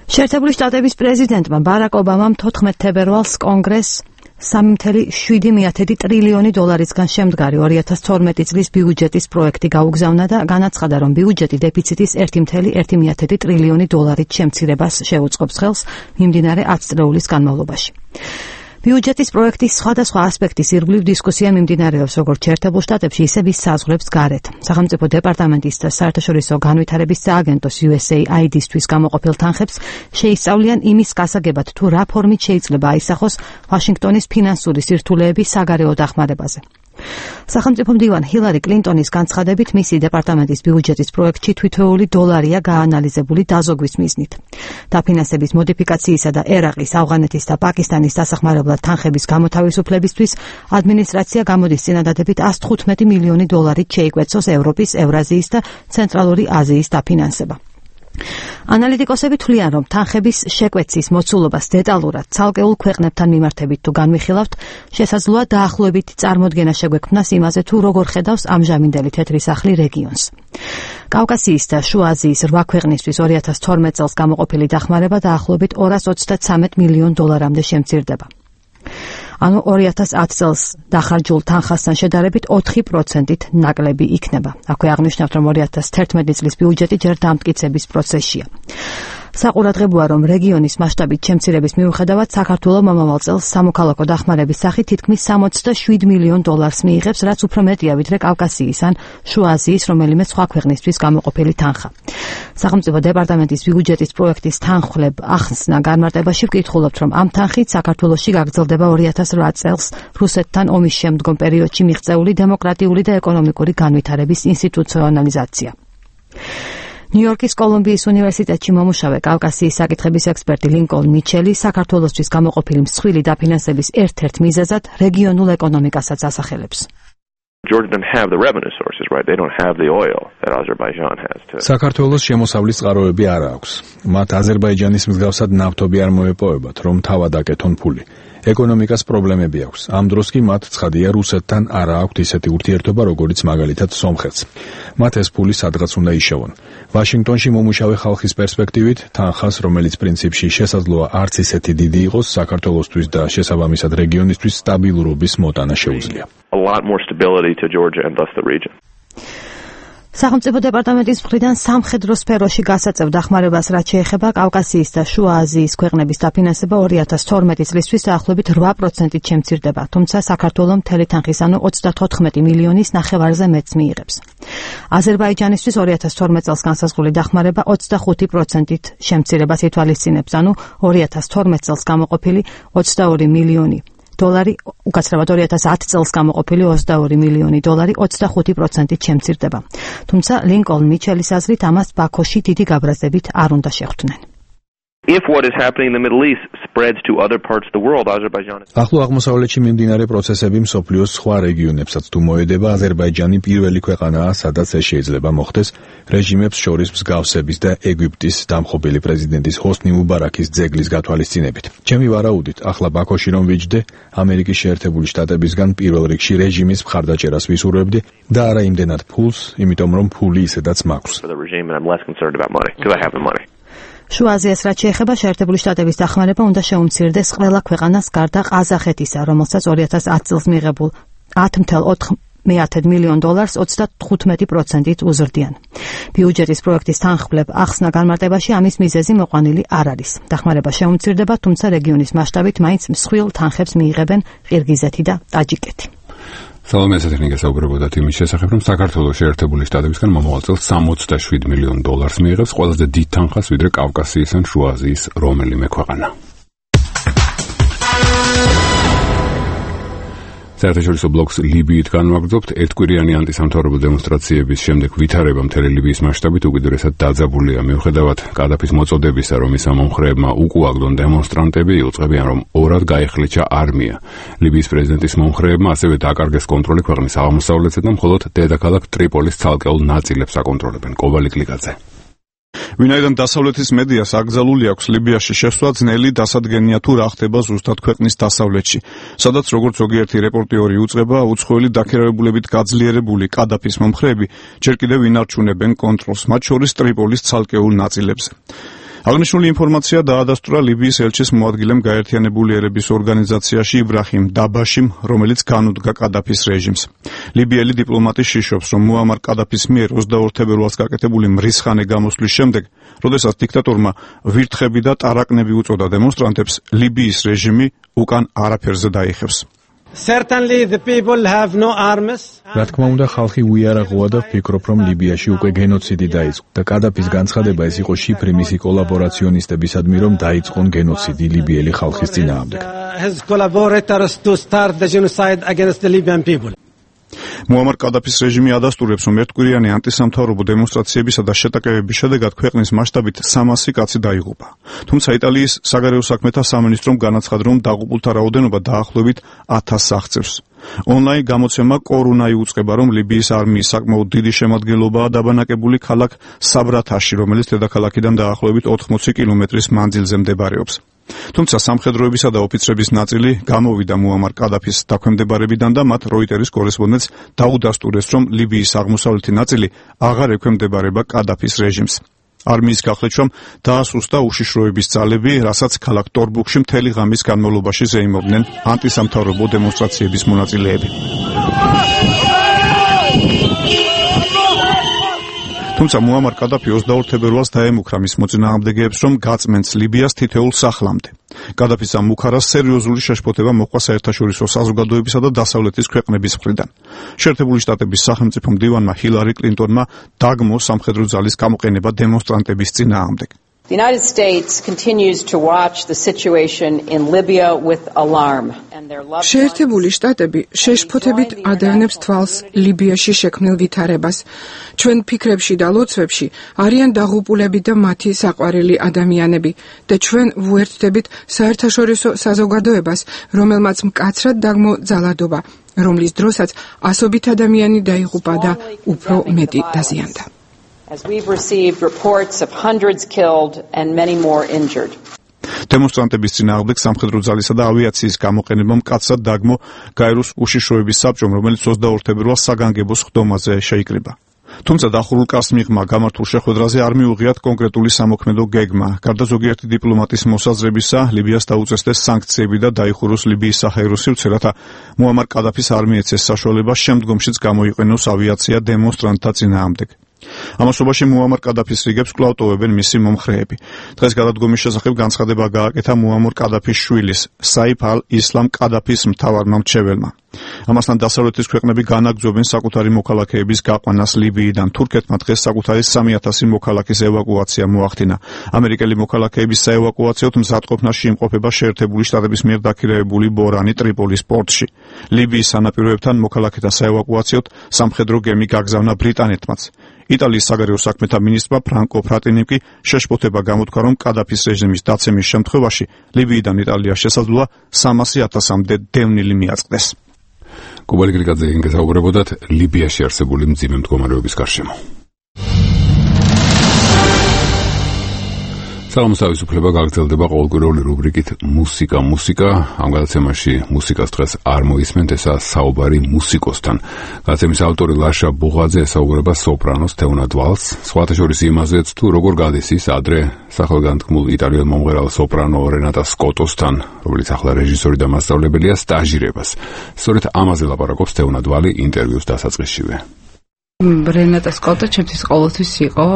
შეერთებული შტატების პრეზიდენტმა ბარაკ ობამამ თოთხმეტ თებერვალს კონგრესს სამი წუთი შვიდი ტრილიონი დოლარისგან შემდგარი ორი ათას თორმეტი წლის ბიუჯეტის პროექტი გაუგზავნა და განაცხადა, რომ ბიუჯეტი დეფიციტის ერთი წუთი ერთი ტრილიონი დოლარით შემცირებას შეუწყობს ხელს მიმდინარე ათი წლეულის განმავლობაში. ბიუჯეტის პროექტის სხვადასხვა ასპექტის ირგვლივ დისკუსია მიმდინარეობს როგორც შეერთებულ შტატებში, ისე მის საზღვრებს გარეთ. სახელმწიფო დეპარტამენტის და საერთაშორისო განვითარების სააგენტოს იუ ეს ეი აი დი-ისთვის გამოყოფილ თანხებს შეისწავლიან იმის გასაგებად, თუ რა ფორმით შეიძლება აისახოს ვაშინგტონის ფინანსური სირთულეები საგარეო დახმარებაზე. სახელმწიფო მდივან ჰილარი კლინტონის განცხადებით, მისი დეპარტამენტის ბიუჯეტის პროექტში თითოეული დოლარია გაანალიზებული დაზოგვის მიზნით. დაფინანსების მოდიფიკაციისა და ერაყის, ავღანეთის და პაკისტანის დასახმარებლად თანხების გამოთავისუფლებისთვის ადმინისტრაცია გამოდის წინადადებით εκατს თხუთმეტი მილიონი დოლარით შეიკვეცოს ევროპის, ევრაზიის და ცენტრალური აზიის დაფინანსება. ანალიტიკოსები თვლიან, რომ თანხების შეკვეცის მოცულობას დეტალურად ცალკეულ ქვეყნებთან მიმართებით თუ განვიხილავთ, შესაძლოა დაახლოებით წარმოდგენა შეგვექმნას იმაზე, თუ როგორ ხედავს ამჟამინდელი თეთრი სახლი რეგიონს. კავკასიის და შუა აზიის რვა ქვეყნისთვის ორი ათას თორმეტ წელს გამოყოფილი დახმარება დაახლოებით ორას ოცდათსამეტ მილიონ დოლარამდე შემცირდება. ანუ ორი ათას ათი წელს დახარჯულ თანხასთან შედარებით ოთხი პროცენტით ნაკლები იქნება. აქვე აღნიშნავთ, რომ ორი ათას თერთმეტი წლის ბიუჯეტი ჯერ დამტკიცების პროცესშია. საყურადღებოა, რომ რეგიონის მასშტაბით შემცირების მიუხედავად საქართველოს მომავალ წელს სამოქალაქო დახმარების სახით თითქმის სამოცდაშვიდ მილიონ დოლარს მიიღებს, რაც უფრო მეტია ვიდრე კავკასიის ან შუა აზიის რომელიმე სხვა ქვეყნისთვის გამოყოფილი თანხა. სახელმწიფო დეპარტამენტის ბიუჯეტის პროექტის თანხმლებ ახსნა განმარტებაში ვკითხულობთ, რომ ამ თანხით საქართველოში გაგრძელდება ორი ათას რვა წელს რუსეთთან ომის შემდგომ პერიოდში მიღწეული დემოკრატიული და ეკონომიკური განვითარების ინსტიტუციონალიზაცია. ნიუ-იორკის კოლუმბიის უნივერსიტეტში მომუშავე კავკასიის საკითხების ექსპერტი ლინკოლნ მიჩელი საქართველოსთვის გამოყოფილი მსხვილი დაფინანსების ერთ-ერთ მიზეზად რეგიონულ ეკონომიკასაც ასახელებს. Georgia doesn't have the revenue sources, right? They don't have the oil that Azerbaijan has. To... საქართველოს შემოსავლის წყაროები არ აქვს. მათ აზერბაიჯანის მსგავსად ნავთობი არ მოეპოვებათ, რომ თავად აკეთონ ფული. ეკონომიკას პრობლემები აქვს. ამ დროს კი მათ ცხადია რუსეთთან არ აქვთ ისეთი ურთიერთობა, როგორიც მაგალითად სომხეთს. მათ ეს ფული სადღაც უნდა იშოვონ. ვაშინგტონში მომუშავე ხალხის პერსპექტივით, თანხას, რომელიც პრინციპში შესაძლოა არც ისეთი დიდი იყოს, საქართველოსთვის და შესაბამისად რეგიონისთვის სტაბილურობის მოტანა შეუძლია. A lot more stability to Georgia and thus the region. სახელმწიფო დეპარტამენტის მხრიდან სამხედრო სფეროში გასაწევ დახმარებას რაც შეეხება კავკასიის და შუა აზიის ქვეყნების დაფინანსება ორი ათას თორმეტი წლისთვის დაახლოებით რვა პროცენტით შემცირდება, თუმცა საქართველოს მთელი თანხის ანუ ოცდათოთხმეტი მილიონის ნახევარზე მეც მიიღებს. აზერბაიჯანისთვის ორი ათას თორმეტ წელს განსაზღვრული დახმარება ოცდახუთი პროცენტით შემცირებას ითვალისწინებს, ანუ ორი ათას თორმეტ წელს გამოყოფილი ოცდაორი მილიონი დოლარი, უკაცრავად ორი ათას ათი წელს გამოყოფილი ოცდაორი მილიონი დოლარი ოცდახუთი პროცენტით შემცირდება. თუმცა ლინკოლნ მიჩელის აზრით ამას ბაქოში დიდი გაბრაზდებით არ უნდა შეხვდნენ. If what is happening in the Middle East spreads to other parts of the world, Azerbaijan is... ახლო აღმოსავლეთში მიმდინარე პროცესები მსოფლიოს სხვა რეგიონებსაც თუ მოედება, აზერბაიჯანი პირველი ქვეყანაა, სადაც ეს შეიძლება მოხდეს რეჟიმებს შორის მსგავსების და ეგვიპტის დამხობილი პრეზიდენტის ჰოსნი მუბარაქის ძეგლის გათვალისწინებით. ჩემი ვარაუდით, ახლა ბაქოში რომ ვიჯდე, ამერიკის შეერთებული შტატებისგან პირველ რიგში რეჟიმის მხარდაჭერას ვისურვებდი და არა იმდენად ფულს, იმიტომ რომ ფული ისედაც მაქვს. For the regime, and I'm less concerned about money because I have the money. შუა აზიას რაც შეეხება, შეერთებული შტატების დახმარება უნდა შეუმცირდეს ყველა ქვეყანას გარდა ყაზახეთისა, რომელსაც ორი ათას ათი წელს მიღებულ ათი ათას ოთხ მილიონ დოლარს ოცდათხუთმეტი პროცენტით უზრდიან. ბიუჯეტის პროექტის თანხმლებ ახსნა განმარტებაში ამის მიზეზი მოყვანილი არ არის. დახმარება შეუმცირდება, თუმცა რეგიონის მასშტაბით მაინც მსხვილ თანხებს მიიღებენ ყირგიზეთი და ტაჯიკეთი. სალომე ესეთნიკა საუბრობოდა იმის შესახებ, რომ საქართველოს შეერთებული შტატებისგან მომავალ წელს სამოცდაშვიდ მილიონ დოლარს მიიღებს, ყველაზე დიდ თანხას ვიდრე კავკასიის ან შუა აზიის რომელიმე ქვეყანა. საერთაშორისო ბლოკს ლიბიით განვაგრძობთ. ერთკვირიანი ანტისამთავრობო დემონსტრაციების შემდეგ ვითარება მთელი ლიბიის მასშტაბით უკიდურესად დაძაბულია. მიუხედავად კადაფის მოწოდებისა, რომ ის მომხრეებმა უკუაგდონ დემონსტრანტები, იუწყებიან, რომ ორად გაეხლიჩა არმია. ლიბიის პრეზიდენტის მომხრეებმა ასევე დაკარგეს კონტროლი ქვეყნის აღმოსავლეთზე და მხოლოდ დედაქალაქ ტრიპოლის ცალკეულ ნაწილებს აკონტროლებენ. კობალი კლიკაძე. ვინაიდან დასავლეთის მედიას აკრძალული აქვს ლიბიაში შესვლა, ძნელი დასადგენია თუ რა ხდება ზუსტად ქვეყნის დასავლეთში, სადაც როგორც ზოგიერთი რეპორტიორი უწყება, უცხოელი დაქირავებულებით გაძლიერებული კადაფის მომხრეები ჯერ კიდევ ინარჩუნებენ კონტროლს, მათ შორის ტრიპოლის ცალკეულ ნაწილებზე. აღნიშნული ინფორმაცია დაადასტურა ლიბიის ელჩის მოადგილემ გაერთიანებული ერების ორგანიზაციაში იბრაჰიმ დაბაშიმ, რომელიც განუდგა კადაფის რეჟიმს. ლიბიელი დიპლომატი შიშობს, რომ მუამარ კადაფის მიერ ოცდაორ თებერვალს გაკეთებული მრისხანე გამოსვლის შემდეგ, როდესაც დიქტატორმა ვირთხები და ტარაკნები უწოდა დემონსტრანტებს, ლიბიის რეჟიმი უკან არაფერზე დაიხევს. Certainly the people have no arms. რა თქმა უნდა, ხალხი უიარაღოა და ვფიქრობ, რომ ლიბიაში უკვე გენოციდი დაიწყო და კადაფის განცხადება ეს იყო შიფრი მისი კოლაბორაციონისტებისადმი, რომ დაიწყონ გენოციდი ლიბიელი ხალხის წინააღმდეგ. His collaborators to start the genocide against the Libyan people. მუამარ კადაფის რეჟიმი ადასტურებს, რომ ერთკვირიანი ანტისამთავრობო დემონსტრაციებისა და შეტაკებების შედეგად ქვეყნის მასშტაბით სამასი კაცი დაიღუპა. თუმცა იტალიის საგარეო საქმეთა სამინისტრომ განაცხადა, რომ დაღუპულთა რაოდენობა დაახლოებით ათასს აღწევს. ონლაინ გამოცემა კორუნა იუწყება, რომ ლიბიის არმიის საკმაოდ დიდი შემადგენლობაა დაბანაკებული ქალაქ საბრათაში, რომელიც დედაქალაქიდან დაახლოებით ოთხმოცი კილომეტრის მანძილზე მდებარეობს. თუმცა სამხედროებისა და ოფიცრების ნაწილი გამოვიდა მუამარ კადაფის დაქვემდებარებიდან და მათ როიტერის კორესპონდენტს დაუდასტურეს, რომ ლიბიის აღმოსავლეთი ნაწილი აღარ ექვემდებარება კადაფის რეჟიმს. არმიის გახლეჩვამ დაასუსტა უშიშროების ძალები, რასაც ქალაქ ტორბუქში მთელი ღამის განმავლობაში ზეიმობდნენ ანტისამთავრობო დემონსტრაციების მონაწილეები. თუმცა მუამარ კადაფი ოცდაორ თებერვალს დაემუქრა მის მოწინააღმდეგეებს, რომ გაწმენს ლიბიას თითოეულ სახლამდე. კადაფის ამ მუქარას სერიოზული შეშფოთება მოჰყვა საერთაშორისო საზოგადოებისა და დასავლეთის ქვეყნების მხრიდან. შეერთებული შტატების სახელმწიფო მდივანმა ჰილარი კლინტონმა დაგმო სამხედრო ძალის გამოყენება დემონსტრანტების წინააღმდეგ. The United States continues to watch the situation in Libya with alarm. შეერთებული შტატები შეშფოთებით ადევნებს თვალს ლიბიაში შექმნილ ვითარებას. ჩვენ ფიქრებში და ლოცვებში არიან დაღუპულები და მათი საყვარელი ადამიანები და ჩვენ ვუერთდებით საერთაშორისო საზოგადოებას, რომელმაც მკაცრად დაგმო ძალადობა, რომლის დროსაც ასობით ადამიანი დაიღუპა და უფრო მეტი დაზიანდა. As we've received reports of hundreds killed and many more injured. დემონსტრანტების წინააღმდეგ სამხედრო ძალისა და ავიაციის გამოყენებამ მკაცრად დაგმო გაეროს უშიშროების საბჭომ, რომელიც ოცდაორ თებერვალს საგანგებო სხდომაზე შეიკრიბა. თუმცა დახურულ კარს მიღმა გამართულ შეხვედრაზე არ მიუღიათ კონკრეტული სამოქმედო გეგმა. გარდა ზოგიერთი დიპლომატის მოსაზრებისა, ლიბიას დაუწესდეს სანქციები და დაიხუროს ლიბიის საჰაერო სივრცე, რათა მუამარ კადაფის არმია ეცეს საშუალება შემდგომშიც გამოიყენოს ავიაცია დემონსტრანტთა წინააღმდეგ. ამასობაში მუამარ კადაფის რიგებს კვლავ ტოვებენ მისი მომხრეები. დღეს გადადგომის შესახებ განცხადება გააკეთა მუამარ კადაფის შვილის, საიფ ალ-ისლამ კადაფის მთავარმა მრჩეველმა. ამასთან დასავლეთის ქვეყნები განაგრძობენ საკუთარი მოქალაქეების გაყვანას ლიბიიდან. თურქეთმა დღეს საკუთარი სამი ათასი მოქალაქის ევაკუაცია მოახდინა. ამერიკელი მოქალაქეების საევაკუაციოდ მზადყოფნაში იმყოფება შეერთებული შტატების მიერ დაქირავებული ბორანი ტრიპოლის პორტში. ლიბიის სანაპიროებთან მოქალაქეთა საევაკუაციოდ სამხედრო გემი გაგზავნა ბრიტანეთმაც. იტალიის საგარეო საქმეთა მინისტრმა ფრანკო ფრატინიმ კი შეშფოთება გამოთქვა, რომ კადაფის რეჟიმის დაცემის შემთხვევაში ლიბიიდან იტალიას შესაძლოა სამასი ათასამდე დევნილი მიაწყდეს. კუბალი გრიგაძე გესაუბრებოდათ ლიბიაში არსებული მძიმე მდგომარეობის გარშემო. სალამოს თავისუფლება გაგრძელდება ყოველკვირეული რუბრიკით მუსიკა მუსიკა. ამ გადაცემაში მუსიკას დღეს არ მოისმენთ, ესაა საუბარი მუსიკოსთან. გადაცემის ავტორი ლაშა ბუღაძე ესაუბრება სოპრანოს თეონად ვალს, სხვათა შორის იმაზეც, თუ როგორ გადის ის ადრე სახელგანთქმულ იტალიელ მომღერალ სოპრანო რენატა სკოტოსთან, რომელიც ახლა რეჟისორი და მასწავლებელია, სტაჟირებას. სწორედ ამაზე ლაპარაკობს თეონად ვალი ინტერვიუს დასაწყისშივე. რენატა სკოტო ჩემთვის ყოველთვის იყო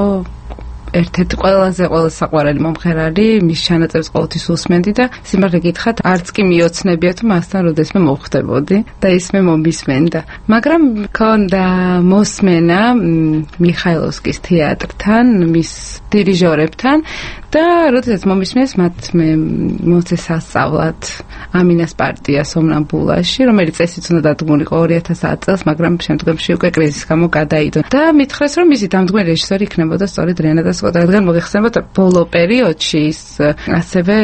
ერთ-ერთი ყველაზე ყველაზე საყვარელი მომღერალი, მის ჩანაწერებს ყოველთვის უსმენდი და სიმართლე გითხრათ, არც კი მიოცნებია თუ მასთან როდესმე მოვხვდებოდი და ის მე მომისმენდა. მაგრამ მქონდა მოსმენა მიხაილოვსკის თეატრთან, მის დირიჟორებთან და როდესაც მომისმენს მათ მე მოწეს სასწავლად ამინას პარტია სომნამბულაში, რომელიც წესით უნდა დადგმულიყო ორი ათას ათი წელს, მაგრამ შემდგომში უკვე კრიზისის გამო გადაიდო. და მითხრეს, რომ მისი დამდგმელი რეჟისორი იქნებოდა სწორედ რენატა სკოტო, რადგან მოგეხსენებათ ბოლო პერიოდში ის ასევე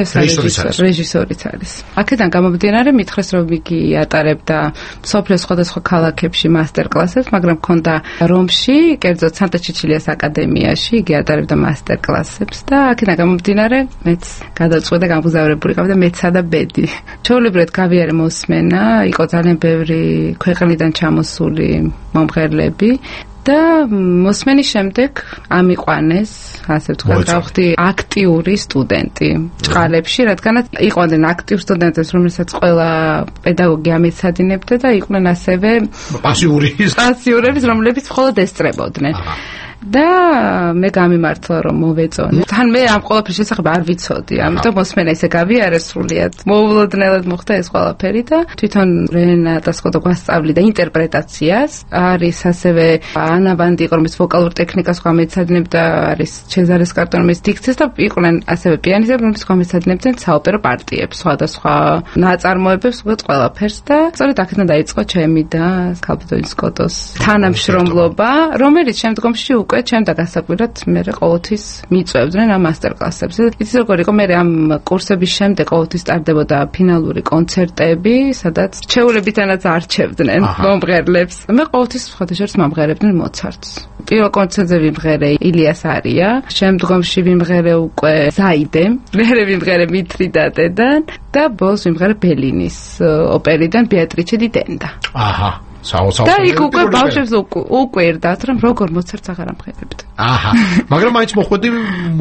რეჟისორიც არის. აქედან გამომდინარე მითხრეს, რომ იგი ატარებდა მსოფლიოს სხვადასხვა ქალაქებში მასტერკლასებს, მაგრამ ჰქონდა რომში, კერძოდ სანტა ჩიჩილიას აკადემიაში, იგი ატარებდა მასტერკლასებს და აქედან გამომდინარე მეც გადავწყვეტე გამგზავრებული გავიდა მეცსა და ბედი. ჩვეულებრივად გავიარე მოსმენა, იყო ძალიან ბევრი ქვეყნიდან ჩამოსული მომღერლები და მოსმენის შემდეგ ამიყვანეს, ასე ვთქვათ, გავხდი აქტიური სტუდენტი ჭყალებში, რადგანაც იყვნენ აქტიურ სტუდენტებს, რომელსაც ყველა პედაგოგი ამეცადინებდა და იყვნენ ასევე პასიური პასიურების, რომლებიც მხოლოდ ესწრებოდნენ. და მე გამიმართლა რომ მოვეწონე. თან მე ამ ყველაფრის შესახებ არ ვიცოდი, ამიტომ მოსმენა ისე გავიარე სრულიად. მოულოდნელად მოხდა ეს ყველაფერი და თვითონ რენატა სკოტო გვასწავლიდა ინტერპრეტაციას. არის ასევე ანა ვანდი, რომელიც ვოკალურ ტექნიკას გვამეცადინებდა, არის ჩეზარე სკარტონომის დიქციას და იყვნენ ასევე პიანისტები, რომლებიც გვამეცადინებდნენ საოპერო პარტიებს, სხვადასხვა ნაწარმოებებს, უბრალოდ ყველაფერს და სწორედ აქედან დაიწყო ჩემი და სკალპტონის სკოტოს თანამშრომლობა, რომელიც შემდგომში უკვე ჩემ და გასაკვირად მე ყოველთვის მიწვევდნენ ამ მასტერკლასებს. იცი როგორ იყო, მე ამ კურსების შემდეგ ყოველთვის ტარდებოდა ფინალური კონცერტები, სადაც ჩვეულებითანაც არჩევდნენ მომღერლებს. მე ყოველთვის სხვათა შორის მომღერებდნენ მოცარტს. პირველ კონცერტზე ვიმღერე ილიას არია, შემდგომში ვიმღერე უკვე ზაიდე, მერე ვიმღერე მითრიდატედან და ბოლოს ვიმღერე ბელინის ოპერიდან ბეატრიჩე დი ტენდა. აჰა. და იქ უკვე ბავშვებს უკვირდათ, რომ როგორ მოცარტს აღარ ამღერებთ. აჰა. მაგრამ მაინც მოხვედი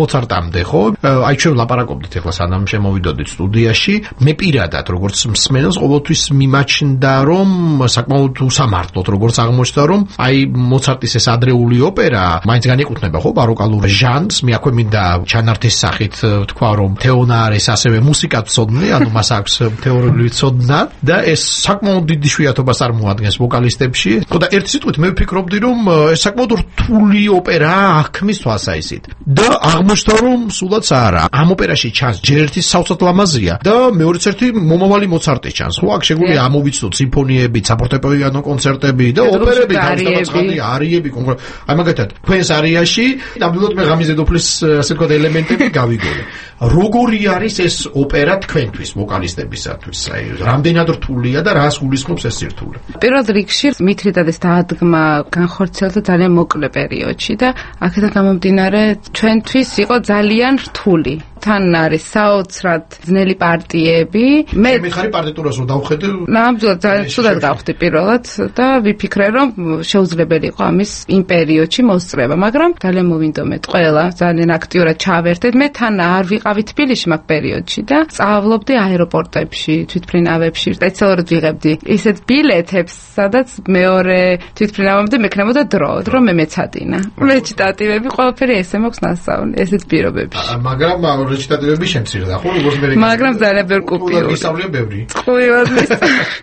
მოცარტამდე, ხო? აი ჩვენ ლაპარაკობდით ახლა სანამ შემოვიდოდით სტუდიაში, მე პირადად როგორც მსმენელს ყოველთვის მიმაჩნდა, რომ საკმაოდ უსამართლოდ როგორც აღმოჩნდა, რომ აი მოცარტის ეს ადრეული ოპერა მაინც განეკუთვნება, ხო, ბაროკალურ ჟანრს. მე აქვე მინდა ჩანართის სახით ვთქვა, რომ თეონა არის ასევე მუსიკად მცოდნე, ანუ მას აქვს თეორიული ცოდნა და ეს საკმაოდ დიდი შვიათობას წარმოადგენს ვოკალისტებში. და ერთი სიტყვით მე ვფიქრობდი, რომ ეს საკმაოდ რთული ოპერაა აღქმის თვალსაჩინით. და აღმოჩნდა, რომ სულაც არა. ამ ოპერაში ჩანს ჯერ ერთი საოცრად ლამაზია და მეორეც ერთი მომავალი მოცარტი ჩანს. ხო, აქ შეგვიძლია ამოვიცნოთ სიმფონიები, საფორტეპიანო კონცერტები და ოპერები, თავისთავად არიები კონკრეტულად. აი მაგათად, თქვენს არიაში ნამდვილად მე ღამის დედოფლის ასე ვთქვათ ელემენტები გავიგონე. როგორი არის ეს ოპერა თქვენთვის, ვოკალისტებისათვის? აი, რამდენად რთულია და რას გულისხმობს ეს სირთულე? პირველ რიგში მითრიდატეს დაადგმა განხორციელდა ძალიან მოკლე პერიოდში და აქედან გამომდინარე ჩვენთვის იყო ძალიან რთული. თან არის საოცრად ძნელი პარტიები. მე მიხარი პარტიტურას რო დავხედე. ნამდვილად ძალიან ცუდად გავხდი პირველად და ვიფიქრე რომ შეუძლებელი იყო ამის იმ პერიოდში მოსწრება, მაგრამ ძალიან მოვინდომეთ ყველა, ძალიან აქტიურად ჩავერთეთ. მე თან არ ვიყავი თბილისში მაგ პერიოდში და სწავლობდი აეროპორტებში, თვითმფრინავებში, სპეციალურად ვიღებდი ისეთ ბილეთებს, სადაც მეორე თვითმფრინავამდე მექნებოდა დრო, დრო მე მეცადინა. რეჩიტატივები ყველაფერი ესე მაქვს ნასწავლი, ესეთ პირობებში. მაგრამ რეჩიტატივები შემცირდა, ხო? როგორც მე. მაგრამ ძალიან ბევრი კუპიური. ისწავლია ბევრი. წყვილად მის.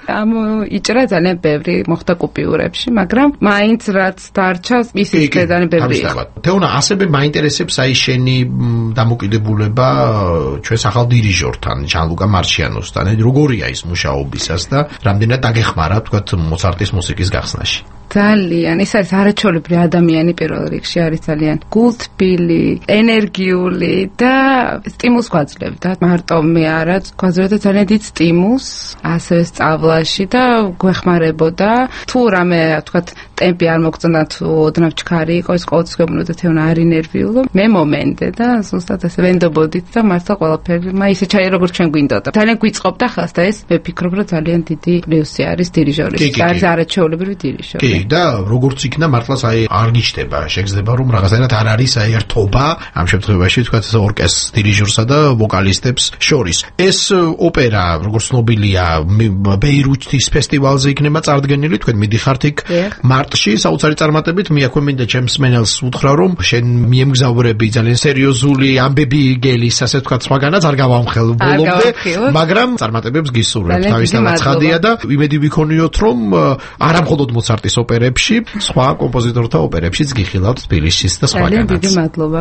ამ იჭრა ძალიან ბევრი მოხდა კუპიურებში, მაგრამ მაინც რაც დარჩა, ისიც ძალიან ბევრი. თეონა, ასევე მაინტერესებს აი შენი დამოკიდებულება ჩვენს ახალ დირიჟორთან, ჟან-ლუკა მარჩიანოსთან. როგორია ის მუშაობისას და რამდენად დაგეხმარა, თქვათ, მოცარტის მუსიკის გახსნაში? ძალიან, ის არის არაჩვეულებრივი ადამიანი პირველ რიგში, არის ძალიან გულთბილი, ენერგიული და სტიმულს გვაძლევდა. მარტო მე არა, გვაძლევდა ძალიან დიდ სტიმულს, ასევე სწავლაში და გვეხმარებოდა. თუ რამე, თქვათ, ტემპი არ მოგწონდა, თუ ოდნავ ჩქარი იყო, ის ყოველთვის გვეუბნოდა თეონა არ ინერვიულო. მე მომენდე და ზუსტად ასე ვენდობოდით და მართლა ყველაფერი, მა ისე ჩაი როგორც ჩვენ გვინდოდა. ძალიან გვიწყობდა ხას და ეს მე ფიქრობ, რომ ძალიან დიდი პლუსი არის დირიჟორის. არის არაჩვეულებრივი დირიჟორი. და როგორც იქნა მართლაც აი არ გიჩდება, შეგრძნება რომ რაღაცნაირად არ არის აი ერთობა ამ შემთხვევაში თქვა ორკესტრის დირიჟორსა და ვოკალისტებს შორის. ეს ოპერა როგორც ცნობილია ბეირუთის ფესტივალზე იქნება წარდგენილი, თქვენ მიდიხართ იქ მარტში საოცარი წარმატებით. მე აქვე მინდა ჩემს მენელს უთხრა რომ შენ მიემგზავრები ძალიან სერიოზული ამბები გელის, ასე თქვა სხვაგანაც არ გავამხელ ბოლომდე, მაგრამ წარმატებებს გისურვებ. თავისთავად ცხადია და იმედი ვიქონიოთ რომ არა მხოლოდ მოცარტის ოპერებში, სხვა კომპოზიტორთა ოპერებშიც გიხილავთ თბილისშიც და სხვაგანაც. ძალიან დიდი მადლობა.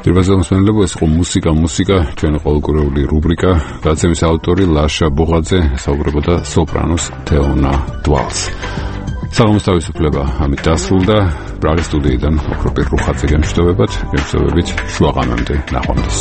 დირბაზელ მსმენელებო, ეს იყო მუსიკა, მუსიკა, ჩვენი ყოველკვირეული რუბრიკა. გადაცემის ავტორი ლაშა ბოღაძე საუბრებოდა სოპრანოს თეონა დვალს. საღამოს თავისუფლება ამით დასრულდა. პრაღის სტუდიიდან ოქროპირ რუხაძე გემშვიდობებათ, გემშვიდობებით შუაღამემდე ნახვამდის.